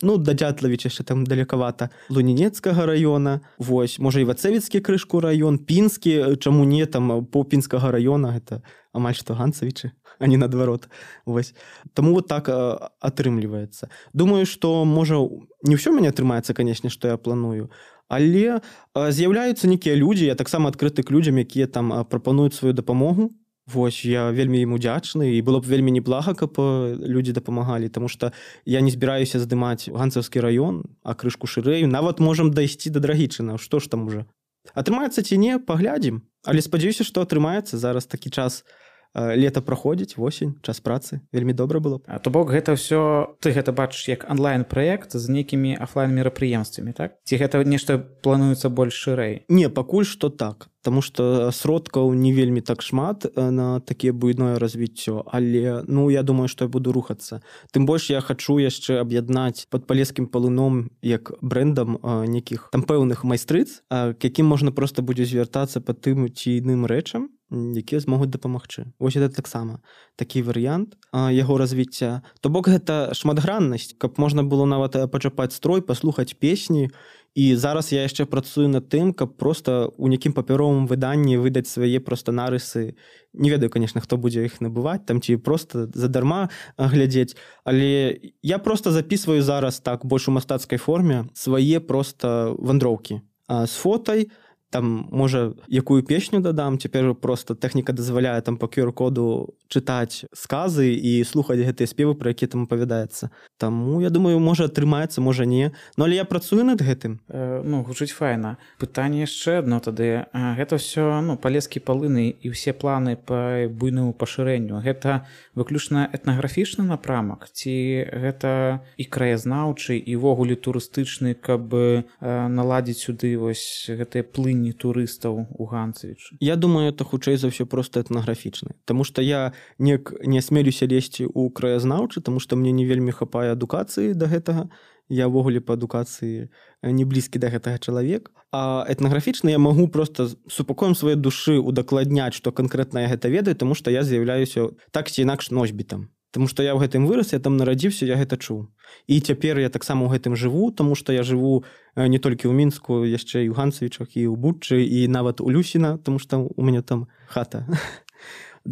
ну, да Дятлавіча яшчэ там далекавата, Лунінецкага раёна, вось, можа, Івацэвіцкі крышку раён, Пінскі, чаму не, там, Пінскага раёна, гэта амаль што Ганцавічы, а не наадварот, вось. Таму вот так атрымліваецца. Думаю, што, можа, не ўсё мяне атрымаецца, канешне, што я планую, але з'яўляюцца нейкія людзі, я таксама адкрыты к людзям, якія там прапануюць сваю дапамогу. Вось, я вельмі ім удзячны, і было б вельмі неблага, каб людзі дапамагалі, таму што я не збіраюся здымаць Ганцаўскі раён, а крышку шырэй, нават можам дайсці да Драгічына, што ж там уже. Атрымаецца ці не, паглядзім, але спадзяюся, што атрымаецца, зараз такі час лета праходзіць, восень, час працы, вельмі добра было б. То бок гэта ўсё, ты гэта бачыш як онлайн-праект з нейкімі офлайн-мерапрыемствамі, так? Ці гэта нешта плануецца больш шырэй? Не, пакуль што так. Таму што сродкаў не вельмі так шмат на такія буйное развіццё, але, ну, я думаю, што я буду рухацца. Тым больш я хачу яшчэ аб'яднаць пад палескім палыном як брэндам нейкіх там пэўных майстрыц, к якім можна проста будзе звяртацца па тым ці іным рэчам, якія змогуць дапамагчы. Вось гэта таксама такі варыянт яго развіцця. То бок гэта шматграннасць, каб можна было нават пачапаць строй, паслухаць песні. І зараз я яшчэ працую над тым, каб проста ў нейкім папяровым выданні выдаць свае проста нарысы. Не ведаю, конечно, хто будзе іх набываць, там ці проста задарма глядзець, але я проста записываю зараз так больш у мастацкай форме свае проста вандроўкі з фотай. Там, можа, якую песню дадам, цяпер проста тэхніка дазваляе там па QR-коду чытаць сказы і слухаць гэтыя спевы, пра якія там апавядаецца. Таму, я думаю, можа атрымаецца, можа не. Ну, але я працую над гэтым. Ну, гучыць файна. Пытанне яшчэ адно тады. Гэта ўсё, ну, палескі палыны і ўсе планы па буйнаму пашырэнню. Гэта выключна этнаграфічны напрамак? Ці гэта і краязнаўчы, і ввогуле турыстычны, каб наладзіць сюды вось гэтыя плыні турыстаў у Ганцавічы? Я думаю, это хутчэй за ўсё проста этнаграфічны. Таму што я не асмелюся лезці ў краязнаўчы, таму што мне не вельмі хапае адукацыі да гэтага. Я ўвогуле па адукацыі не блізкі да гэтага чалавек. А этнаграфічна я магу проста супакоем сваёй душы удакладняць, што канкрэтна я гэта ведаю, таму што я з'яўляюся так ці інакш носьбітам. Таму што я ў гэтым вырас, я там нарадзіўся, я гэта чуў. І цяпер я таксама ў гэтым жыву, таму што я жыву не толькі ў Мінску, яшчэ і ў Ганцавічах, і ў Буччы, і нават у Люсіна, таму што у мяне там хата.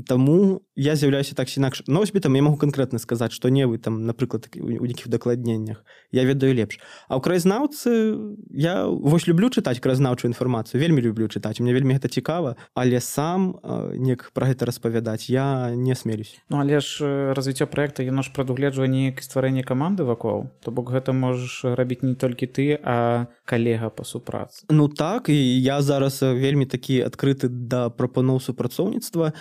Таму я з'яўляюся так ці інакш носьбітам, я магу канкрэтна сказаць, што не вы там, напрыклад, у нейкіх дакладненнях. Я ведаю лепш. А ў краязнаўцы я вось люблю чытаць краязнаўчую інфармацыю, вельмі люблю чытаць, мне вельмі гэта цікава, але сам неяк пра гэта распавядаць я не асмелюсь. Ну, але ж развіццё праекта, яно ж прадугледжвае неяк стварэнне каманды вакол. То бок гэта можаш рабіць не толькі ты, а калега па супрацы. Ну так, і я зараз вельмі такі адкрыты да прапаноў супрацоўніцтва,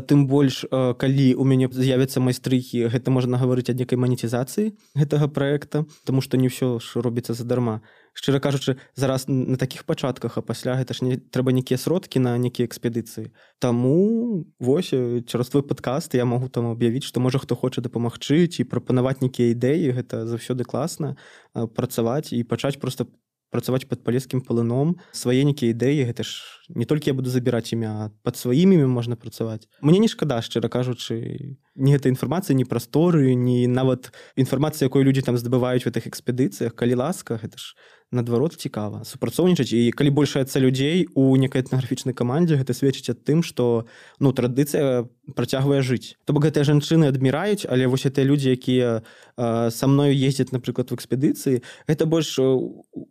тым больш, калі у мяне з'явяцца майстрыхі, гэта можна гаварыць ад некай манетызацыі гэтага праекта, таму што не ўсё ж робіцца задарма. Шчыра кажучы, зараз на такіх пачатках, а пасля гэта ж трэба нейкія сродкі на нейкія экспедыцыі. Таму вось цераз твой падкаст я магу там аб'явіць, што можа хто хоча дапамагчы ці прапанаваць нейкія ідэі, гэта заўсёды класна працаваць і пачаць проста працаваць пад палескім палыном, свае нейкія ідэі, гэта ж не толькі я буду забіраць імя, а пад сваім імем можна працаваць. Мне не шкада, шчыра кажучы, ні гэта інфармацыя, ні прасторы, ні нават інфармацыя, якую людзі там здабываюць у гэтых экспедыцыях, калі ласка, гэта ж наадварот цікава супрацоўнічаць. І калі большаецца людзей у некай этнаграфічнай камандзе, гэта сведчыць аб тым, што ну, традыцыя працягвае жыць. То бок гэтыя жанчыны адміраюць, але вось гэтыя людзі, якія са мною ездзяць, напрыклад, у экспедыцыі, гэта больш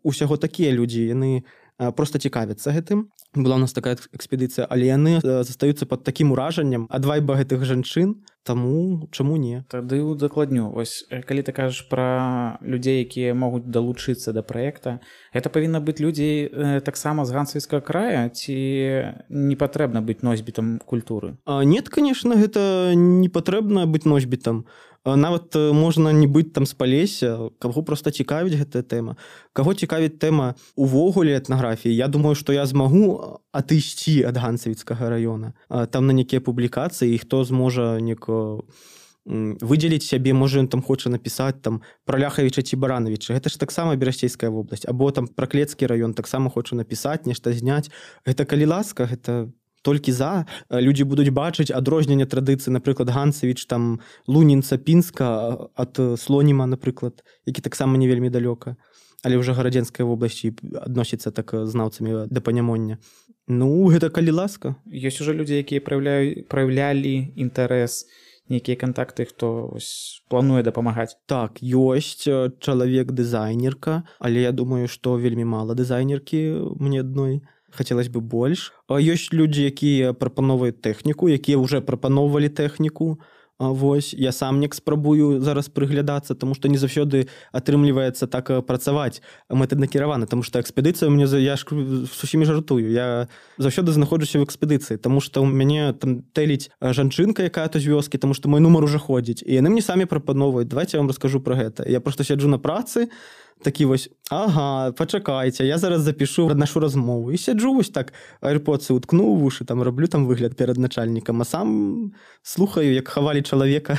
усяго такія людзі, яны проста цікавяцца гэтым. Была у нас такая экспедыцыя, але яны застаюцца пад такім уражаннем ад вайба гэтых жанчын, таму чаму не? Тады удакладню. Вось калі ты кажаш пра людзей, якія могуць далучыцца да праекта, гэта павінна быць людзі таксама з Ганцавіцкага края, ці не патрэбна быць носьбітам культуры? Нет, конечно, гэта не патрэбна быць носьбітам. Нават можна не быць там з Палесся, каго проста цікавіць гэтая тэма. Каго цікавіць тэма увогуле этнаграфіі, я думаю, што я змагу адысці ад Ганцавіцкага раёна. Там на нейкія публікацыі, і хто зможа выдзеліць сябе, можа ён там хоча напісаць там пра Ляхавіча ці Баранавіча. Гэта ж таксама Берасцейская вобласць, або там пра Клецкі раён таксама хоча напісаць, нешта зняць. Гэта калі ласка, гэта толькі за. Людзі будуць бачыць адрозненне традыцыі, напрыклад, Ганцевіч, там Лунінца, Пінска ад Слоніма, напрыклад, які таксама не вельмі далёка, але ўжо гарадзенскай вобласці адносіцца так знаўцамі да панямоння. Ну, гэта калі ласка. Ёсць ужо людзі, якія праяўлялі інтарэс, нейкія кантакты, хто плануе дапамагаць. Так, ёсць чалавек-дызайнерка, але я думаю, што вельмі мала дызайнеркі мне адной. Хацелось бы больш. Ёсць людзі, якія прапаноўваюць тэхніку, якія ўжо прапаноўвалі тэхніку. Вось, я сам неяк спрабую зараз прыглядацца, таму што не заўсёды атрымліваецца так працаваць мэтанакіравана, таму што экспедыцыя мне, я ж з усімі жартую, я заўсёды знаходжуся ў экспедыцыі, таму што ў мяне там тэліць жанчынка, якая то з вёскі, таму што мой нумар ужо ходзіць, і яны мне самі прапаноўваюць, давайте я вам раскажу пра гэта. Я проста сяджу на працы, такі вось, ага, пачакайце, я зараз запішу нашу размову. І сяджу вось так, айрподсы уткну ў вушы, там раблю там выгляд перад начальнікам, а сам слухаю, як хавалі чалавека.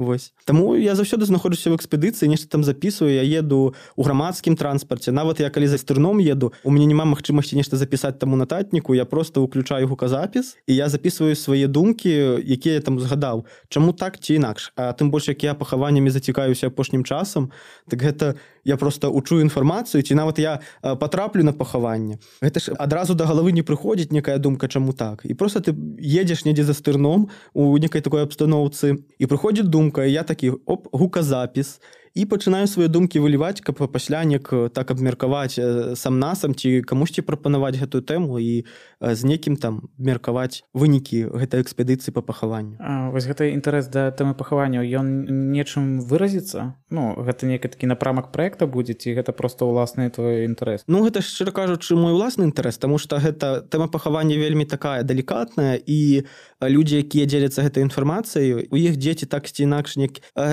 Вось. Таму я заўсёды знаходжуся ў экспедыцыі, нешта там запісваю, я еду ў грамадскім транспарце, нават я калі за стырном еду, у мяне няма магчымасці нешта запісаць таму нататніку, я проста ўключаю гуказапіс, і я запісваю свае думкі, якія я там згадаў. Чаму так ці інакш? А тым больш, як я пахаваннямі зацікаюся апошнім часам, так гэта я проста учу інфармацыю, ці нават я патраплю на пахаванне. Гэта ж адразу да галавы не прыходзіць некая думка, чаму так. І проста ты едзеш недзе за стырном у некай такой абстаноўцы, і прыходзіць думка, і я такі, гуказапіс, і пачынаю свае думкі выліваць, каб пасля неяк так абмеркаваць сам-насам, ці камусьці прапанаваць гэтую тэму і з некім там меркаваць вынікі гэтай экспедыцыі па пахаванню. Вось гэты інтарэс да тэмы пахаванняў, ён нечым выразіцца? Ну, гэта нейкі такі напрамак праекта будзе, ці гэта проста ўласны твой інтарэс? Ну, гэта, шчыра кажучы, мой уласны інтарэс, таму што гэта тэма пахавання вельмі такая далікатная, і людзі, якія дзеляцца гэтай інфармацыяй, у іх дзеці так ці інакш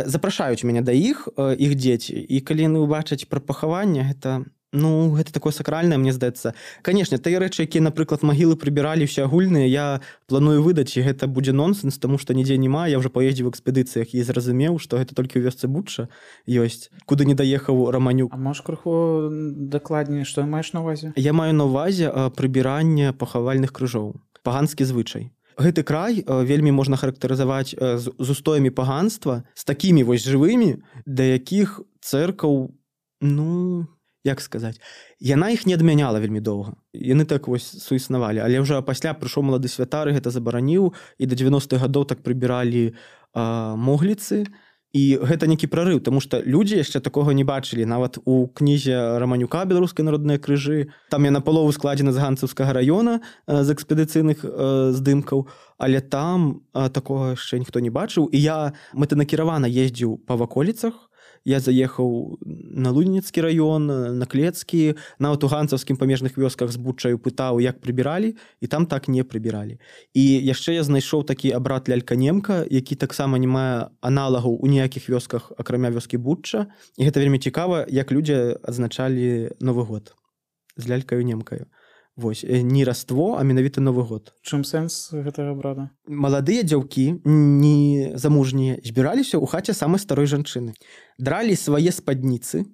запрашаюць мяне да іх дзеці. І калі яны ўбачаць пра пахаванне, гэта, ну, гэта такое сакральнае, мне здаецца. Канешне, тыя рэчы, якія, напрыклад, магілы прыбіралі ўсе агульныя, я планую выдаць, і гэта будзе нонсенс, таму што нідзе няма. Я ўжо паездзіў у экспедыцыях і зразумеў, што гэта толькі ў вёсцы Бучча ёсць, куды не даехаў Раманюк. А можаш крыху дакладней, што маеш на ўвазе? Я маю на ўвазе прыбіранне пахавальных крыжоў. Паганскі звычай. Гэты край вельмі можна характарызаваць з устоямі паганства, з такімі вось жывымі, да якіх цэркаў, ну, як сказаць, яна іх не адмяняла вельмі доўга. Яны так вось суіснавалі, але ўжо пасля прыйшоў малады святар, гэта забараніў, і да 90-х гадоў так прыбіралі могліцы. І гэта нейкі прарыў, таму што людзі яшчэ такога не бачылі. Нават у кнізе Раманюка «Беларускія народныя крыжы», там я напалову складзена з ганцаўскага раёна, з экспедыцыйных здымкаў, але там такога яшчэ ніхто не бачыў. І я мэтанакіравана ездзіў па ваколіцах, я заехаў на Лунінецкі раён, на Клецкі, нават у ганцаўскім памежных вёсках з Буччаю пытаў, як прыбіралі, і там так не прыбіралі. І яшчэ я знайшоў такі абрад лялька-немка, які таксама не мае аналагаў у ніякіх вёсках, акрамя вёскі Бучча. І гэта вельмі цікава, як людзі адзначалі Новы год з лялькаю-немкаю. Вось, не раство, а менавіта Новы год. Чым сэнс гэтага абрада? Маладыя дзяўкі, не замужнія, збіраліся ў хаце самай старой жанчыны. Дралі свае спадніцы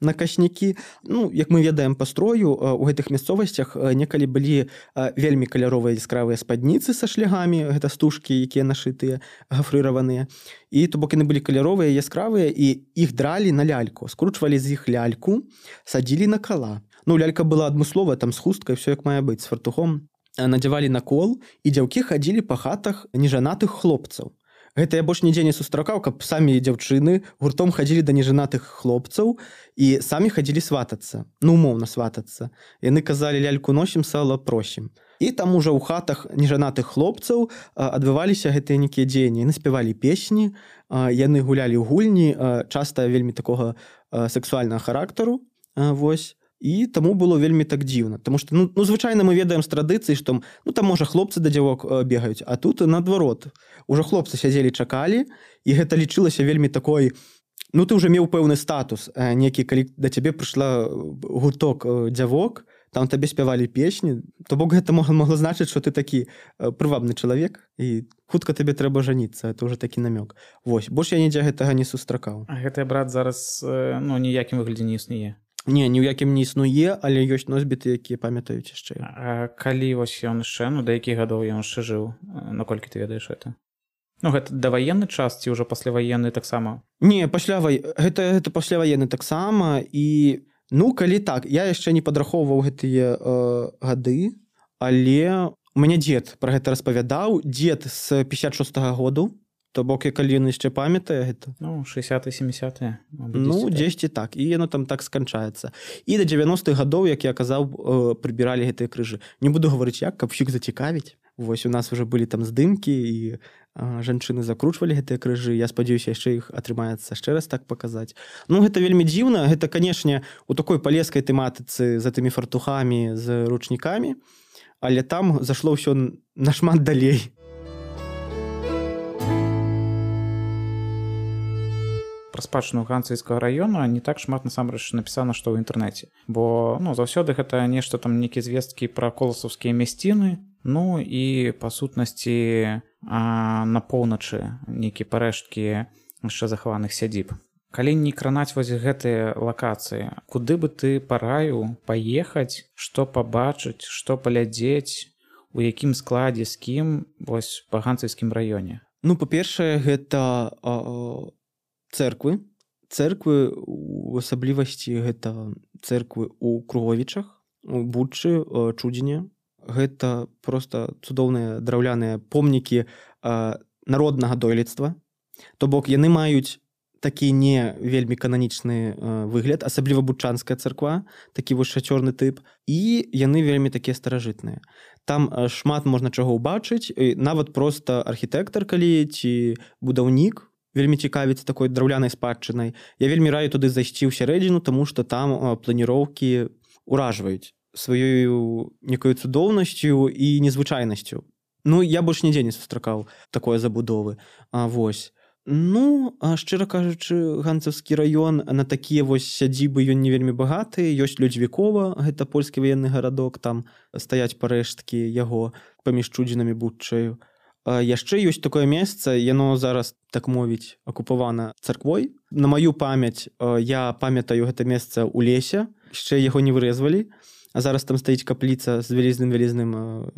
на кашнякі. Ну, як мы ведаем па строю, у гэтых мясцовасцях некалі былі вельмі каляровыя яскравыя спадніцы са шлягамі, гэта стужкі, якія нашытыя, гафрыраваныя. І то бок яны былі каляровыя, яскравыя, і іх дралі на ляльку. Скручвалі з іх ляльку, садзілі на кала. Ну, лялька была адмысловая, там з хусткай, все як мае быць, з фартухом. Надзявалі на кол, і дзяўкі хадзілі па хатах нежанатых хлопцаў. Гэта я больш нідзе не сустракаў, каб самі дзяўчыны гуртом хадзілі да нежанатых хлопцаў і самі хадзілі сватацца, ну, умоўна сватацца. Яны казалі, ляльку носім, сала просім. І там ужо ў хатах нежанатых хлопцаў адбываліся гэтыя нейкія дзеянні. Яны спявалі песні, яны гулялі ў гульні, часта вельмі такога сексуальнага характару, вось. І таму было вельмі так дзіўна. Таму што, ну, звычайна мы ведаем з традыцыі, што, ну, там, можа, хлопцы да дзявок бегаюць, а тут наадварот. Ужо хлопцы сядзелі, чакалі, і гэта лічылася вельмі такой, ну, ты ўжо меў пэўны статус, некі, калі да цябе прыйшла гурток дзявок, там табе спявалі песні, то бок гэта могло значыць, што ты такі прывабны чалавек і хутка табе трэба жаніцца, это ўжо такі намёк. Вось, больш я нідзе гэтага не сустракаў. А гэты брат зараз ніякім выглядзе не існуе. Не, ні ў якім не існуе, але ёсць носьбіты, якія памятаюць яшчэ. А калі вось ён яшчэ, да якіх гадоў ён яшчэ жыў, наколькі ты ведаеш гэта? Гэта даваенны час ці ўжо пасляваенны таксама? Не, гэта пасляваенны таксама і калі так, я яшчэ не падрахоўваў гэтыя гады, але у мяне дзед пра гэта распавядаў, дзед з 56-го году, то бок, калі ён яшчэ памятае гэта. 60-70-е. Дзесьці так. І яно там так сканчаецца. І да 90-х гадоў, як я казаў, прыбіралі гэтыя крыжы. Не буду гаварыць як, каб ўсіх зацікавіць. Вось у нас уже былі там здымкі, і жанчыны закручвалі гэтыя крыжы. Я спадзяюся, яшчэ іх атрымаецца яшчэ раз так паказаць. Гэта вельмі дзіўна. Гэта, канешне, у такой палескай тэматыцы за тымі фартухамі, з ручнікамі. Але там зашло ўсё нашмат далей. Пра спадчыну Ганцавіцкага раёна не так шмат насамрэч напісана, што ў інтэрнэце. Бо заўсёды гэта нешта там нейкія звесткі пра коласаўскія мясціны, і па сутнасці на поўначы нейкія парэшткі яшчэ захаваных сядзіб. Калі не кранаць вось гэтыя лакацыі, куды бы ты параіў паехаць, што пабачыць, што паглядзець, у якім складзе, з кім вось па Ганцавіцкім раёне? Па-першае, гэта цэрквы у асаблівасці гэта цэрквы ў Круговічах, у Бучы, Чудзіне. Гэта проста цудоўныя драўляныя помнікі народнага дойлідства. То бок яны маюць такі не вельмі кананічны выгляд, асабліва бучанская царква, такі вось шацёрны тып, і яны вельмі такія старажытныя. Там шмат можна чаго ўбачыць, нават проста архітэктар калі ці будаўнік вельмі цікавіць такой драўлянай спадчынай. Я вельмі раю туды зайсці ў сярэдзіну, таму што там планіроўкі ўражваюць сваёю некаю цудоўнасцю і незвычайнасцю. Я больш нідзе не сустракаў такой забудовы. Вось. Шчыра кажучы, Ганцавскі раён на такія вось сядзібы ён не вельмі багаты. Ёсць Людзьвікова, гэта польскі ваенны гарадок, там стаяць парэшткі яго паміж Чудзінам і Буччаю. Яшчэ ёсць такое месца, яно зараз, так мовіць, акупавана царквой. На маю памяць я памятаю гэта месца ў лесе, яшчэ яго не вырэзвалі, а зараз там стаіць капліца з вялізным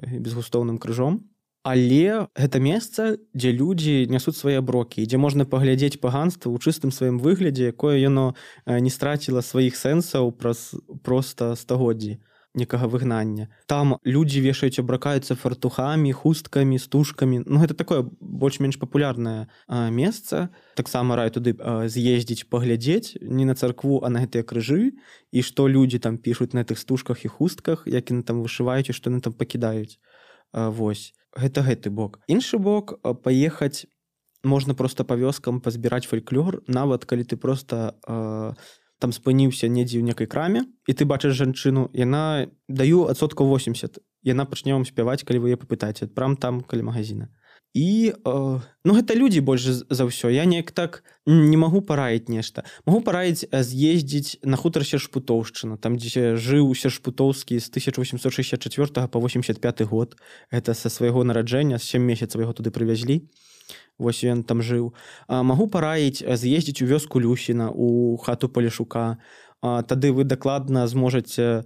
безгустоўным крыжом. Але гэта месца, дзе людзі нясуць свае аброкі, дзе можна паглядзець паганства ў чыстым сваім выглядзе, якое яно не страціла сваіх сэнсаў праз проста стагоддзі некага выгнання. Там людзі вешаюць, абракаюцца фартухамі, хусткамі, стужкамі. Гэта такое больш-менш папулярнае месца. Таксама раю туды з'ездзіць, паглядзець не на царкву, а на гэтыя крыжы, і што людзі там пішуць на гэтых стужках і хустках, як яны там вышываюць і што яны там пакідаюць. Вось. Гэта гэты бок. Іншы бок, паехаць можна проста па вёскам пазбіраць фальклор, нават калі ты проста там спыніўся недзе ў некай краме, і ты бачыш жанчыну, яна даю 80%. Яна пачне вам спяваць, калі вы яе папытаеце, прям там каля магазіна. І гэта людзі больш за ўсё. Я неяк так не магу параіць нешта. Магу параіць з'ездзіць на хутар Сершпутоўшчына, там дзе жыў Сершпутоўскі з 1864 по 85 год. Гэта са свайго нараджэння, з 7 месяцаў яго туды прывязлі. Вось ён там жыў. Магу параіць з'ездзіць у вёску Люсіна, у хату Палешука. Тады вы дакладна зможаце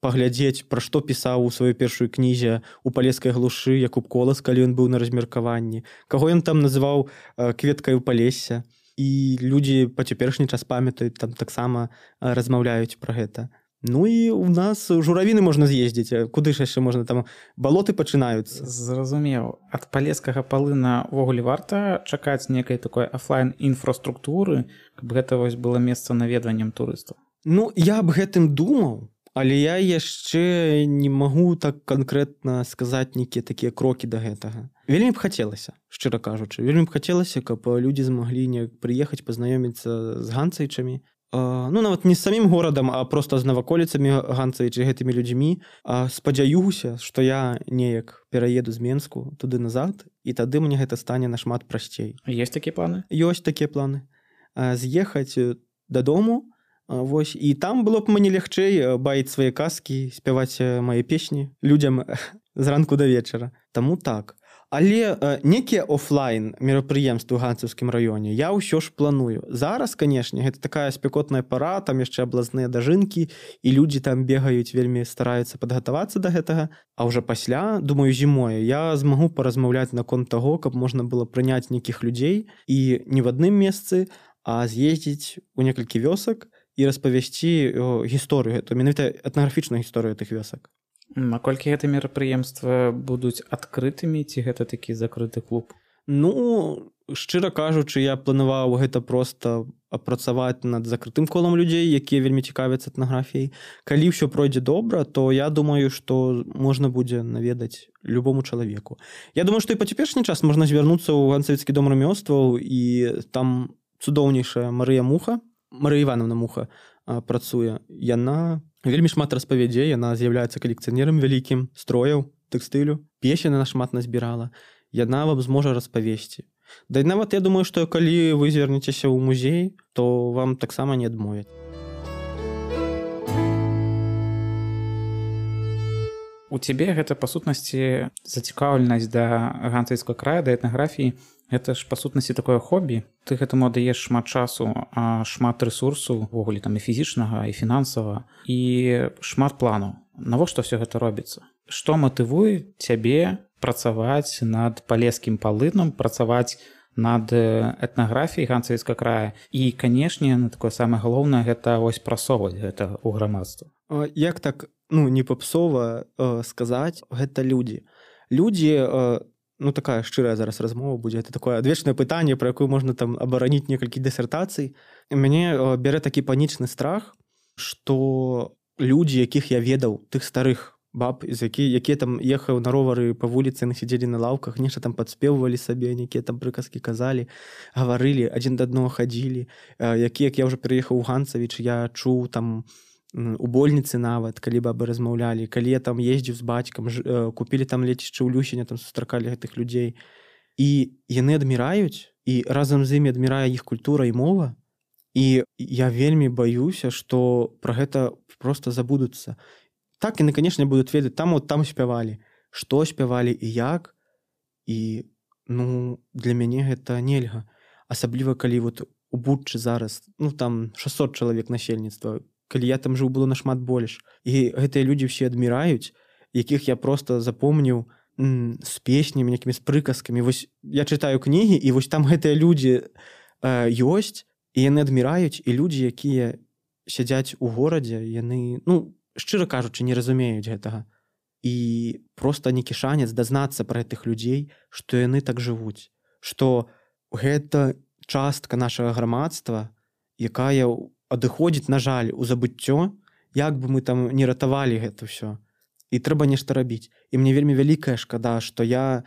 паглядзець, пра што пісаў у сваёй першай кнізе у палескай глушы Якуб Колас, калі ён быў на размеркаванні. Каго ён там называў кветкаю Палесся. І людзі па цяперашні час памятаюць, там таксама размаўляюць пра гэта. І у нас журавіны можна з'ездзіць. Куды ж яшчэ можна? Там балоты пачынаюцца. Зразумеў. Ад палескага палына ўвогуле варта чакаць некай такой афлайн-інфраструктуры, каб гэта вось было месца наведваннем турыстаў? Я аб гэтым думаў, але я яшчэ не магу так канкрэтна сказаць нейкія такія крокі да гэтага. Вельмі б хацелася, шчыра кажучы. Вельмі б хацелася, каб людзі змаглі неяк прыехаць, пазнаёміцца з ганцавічамі. Нават не з самім горадам, а проста з наваколіцамі Ганцавіча, гэтымі людзьмі. Спадзяюся, што я неяк пераеду з Менску туды назад, і тады мне гэта стане нашмат прасцей. Ёсць такія планы? Ёсць такія планы. З'ехаць дадому, Вось і там было б мне лягчэй баіць свае казкі, спяваць мае песні людзям зранку да вечара. Таму так. Але некія офлайн мерапрыемствы ў ганцаўскім раёне я ўсё ж планую. Зараз, канешне, гэта такая спякотная пара, там яшчэ аблазныя дажынкі, і людзі там бегаюць, вельмі стараюцца падгатавацца да гэтага. А ўжо пасля, думаю, зімою я змагу паразмаўляць наконт таго, каб можна было прыняць нейкіх людзей і не в адным месцы, а з'ездзіць у некалькі вёсак і распавесці гісторыю гэту, менавіта этнаграфічную гісторыю тых вёсак. Наколькі гэта мерапрыемства будуць адкрытымі, ці гэта такі закрыты клуб? Ну, шчыра кажучы, я планаваў гэта проста апрацаваць над закрытым колам людзей, якія вельмі цікавяцца этнаграфіяй. Калі ўсё пройдзе добра, то я думаю, што можна будзе наведаць любому чалавеку. Я думаю, што і па цяперашні час можна звярнуцца ў ганцавіцкі дом рамёстваў, і там цудоўнейшая Марыя Івановна Муха працуе. Яна вельмі шмат распавядзе, яна з'яўляецца калекцыянерам вялікім строяў, тэкстылю. Песен яна шмат назбірала. Яна вам зможа распавесці. Да і нават я думаю, што калі вы звернецеся ў музей, то вам таксама не адмовяць. У цябе гэта, па сутнасці, зацікаўленасць да ганцавіцкага края, да этнаграфіі. Гэта ж, па сутнасці, такое хобі. Ты гэтаму даеш шмат часу, шмат рэсурсу, увогуле там і фізічнага, і фінансавага, і шмат планаў. Навошта ўсё гэта робіцца? Што матывуе цябе працаваць над палескім палынам, працаваць над этнаграфіяй ганцавіцкага края? І, канешне, такое самае галоўнае, гэта вось прасоўваць гэта ў грамадства. Як так, не папсова сказаць, гэта людзі. Людзі, такая шчырая зараз размова будзе, гэта такое адвечнае пытанне, пра якое можна там абараніць некалькі дысертацый. Мяне бярэ такі панічны страх, што людзі, якіх я ведаў, тых старых баб, якія там ехаў на ровары па вуліцы, яны сядзелі на лаўках, нешта там падспеввалі сабе, нейкія там прыказкі казалі, гаварылі, адзін да аднаго хадзілі, як я ўжо пераехаў у Ганцавіч, я чуў там у больніцы нават, калі бабы размаўлялі, калі я там ездзіў з бацькам, купілі там лецішча ў Люсіне, там сустракалі гэтых людзей. І яны адміраюць, і разам з імі адмірае іх культура і мова. І я вельмі баюся, што пра гэта проста забудуцца. Так, яны, канешне, будуць ведаць, там спявалі, што спявалі і як. І, для мяне гэта нельга. Асабліва, калі у Буччы зараз, там 600 чалавек насельніцтва, калі я там жыў, было нашмат больш. І гэтыя людзі ўсе адміраюць, якіх я проста запомніў з песнямі, некімі з прыказкамі. Вось я чытаю кнігі, і вось там гэтыя людзі ёсць, і яны адміраюць, і людзі, якія сядзяць у горадзе, яны, шчыра кажучы, не разумеюць гэтага. І проста нейкі шанец дазнацца пра гэтых людзей, што яны так жывуць. Што гэта частка нашага грамадства, якая адыходзіць, на жаль, у забыццё, як бы мы там не ратавалі гэта ўсё. І трэба нешта рабіць. І мне вельмі вялікая шкада, што я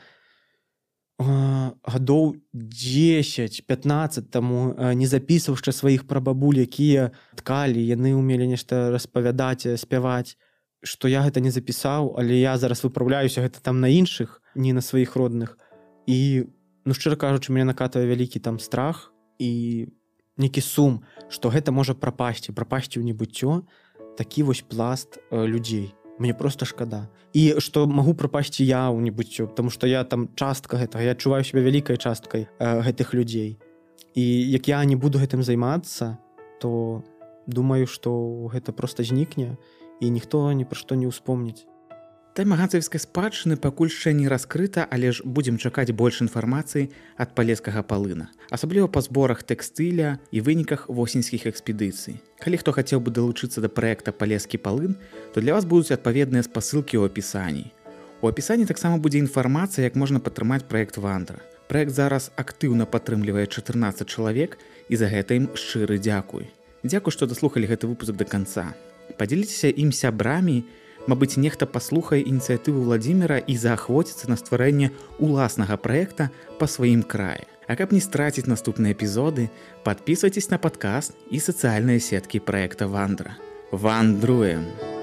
гадоў 10-15 таму не запісваў яшчэ сваіх прабабуль, якія ткалі, яны ўмелі нешта распавядаць, спяваць, што я гэта не запісаў, але я зараз выпраўляюся гэта там на іншых, не на сваіх родных. І, шчыра кажучы, мяне накатвае вялікі там страх і нейкі сум, што гэта можа прапасці ў небыццё, такі вось пласт людзей. Мне проста шкада. І што магу прапасці я ў небыццё, таму што я там частка гэтага, я адчуваю сябе вялікай часткай гэтых людзей. І як я не буду гэтым займацца, то думаю, што гэта проста знікне, і ніхто ні пра што не ўспомніць. Тэма ганцавіцкай спадчыны пакуль яшчэ не раскрыта, але ж будзем чакаць больш інфармацыі ад палескага палына, асабліва па зборах тэкстыля і выніках восеньскіх экспедыцый. Калі хто хацеў бы далучыцца да праекта «Палескі палын», то для вас будуць адпаведныя спасылкі ў апісанні. У апісанні таксама будзе інфармацыя, як можна падтрымаць праект «Вандра». Праект зараз актыўна падтрымлівае 14 чалавек, і за гэта ім шчыры дзякуй. Дзякуй, што даслухалі гэты выпуск да канца. Падзяліцеся ім сябрамі. Мабыць, нехта паслухае ініцыятыву Владзіміра і заахвоціцца на стварэнне уласнага праекта па сваім краі. А каб не страціць наступныя эпізоды, падпісвайцеся на падкаст і сацыяльныя сеткі праекта «Вандра». Вандруем!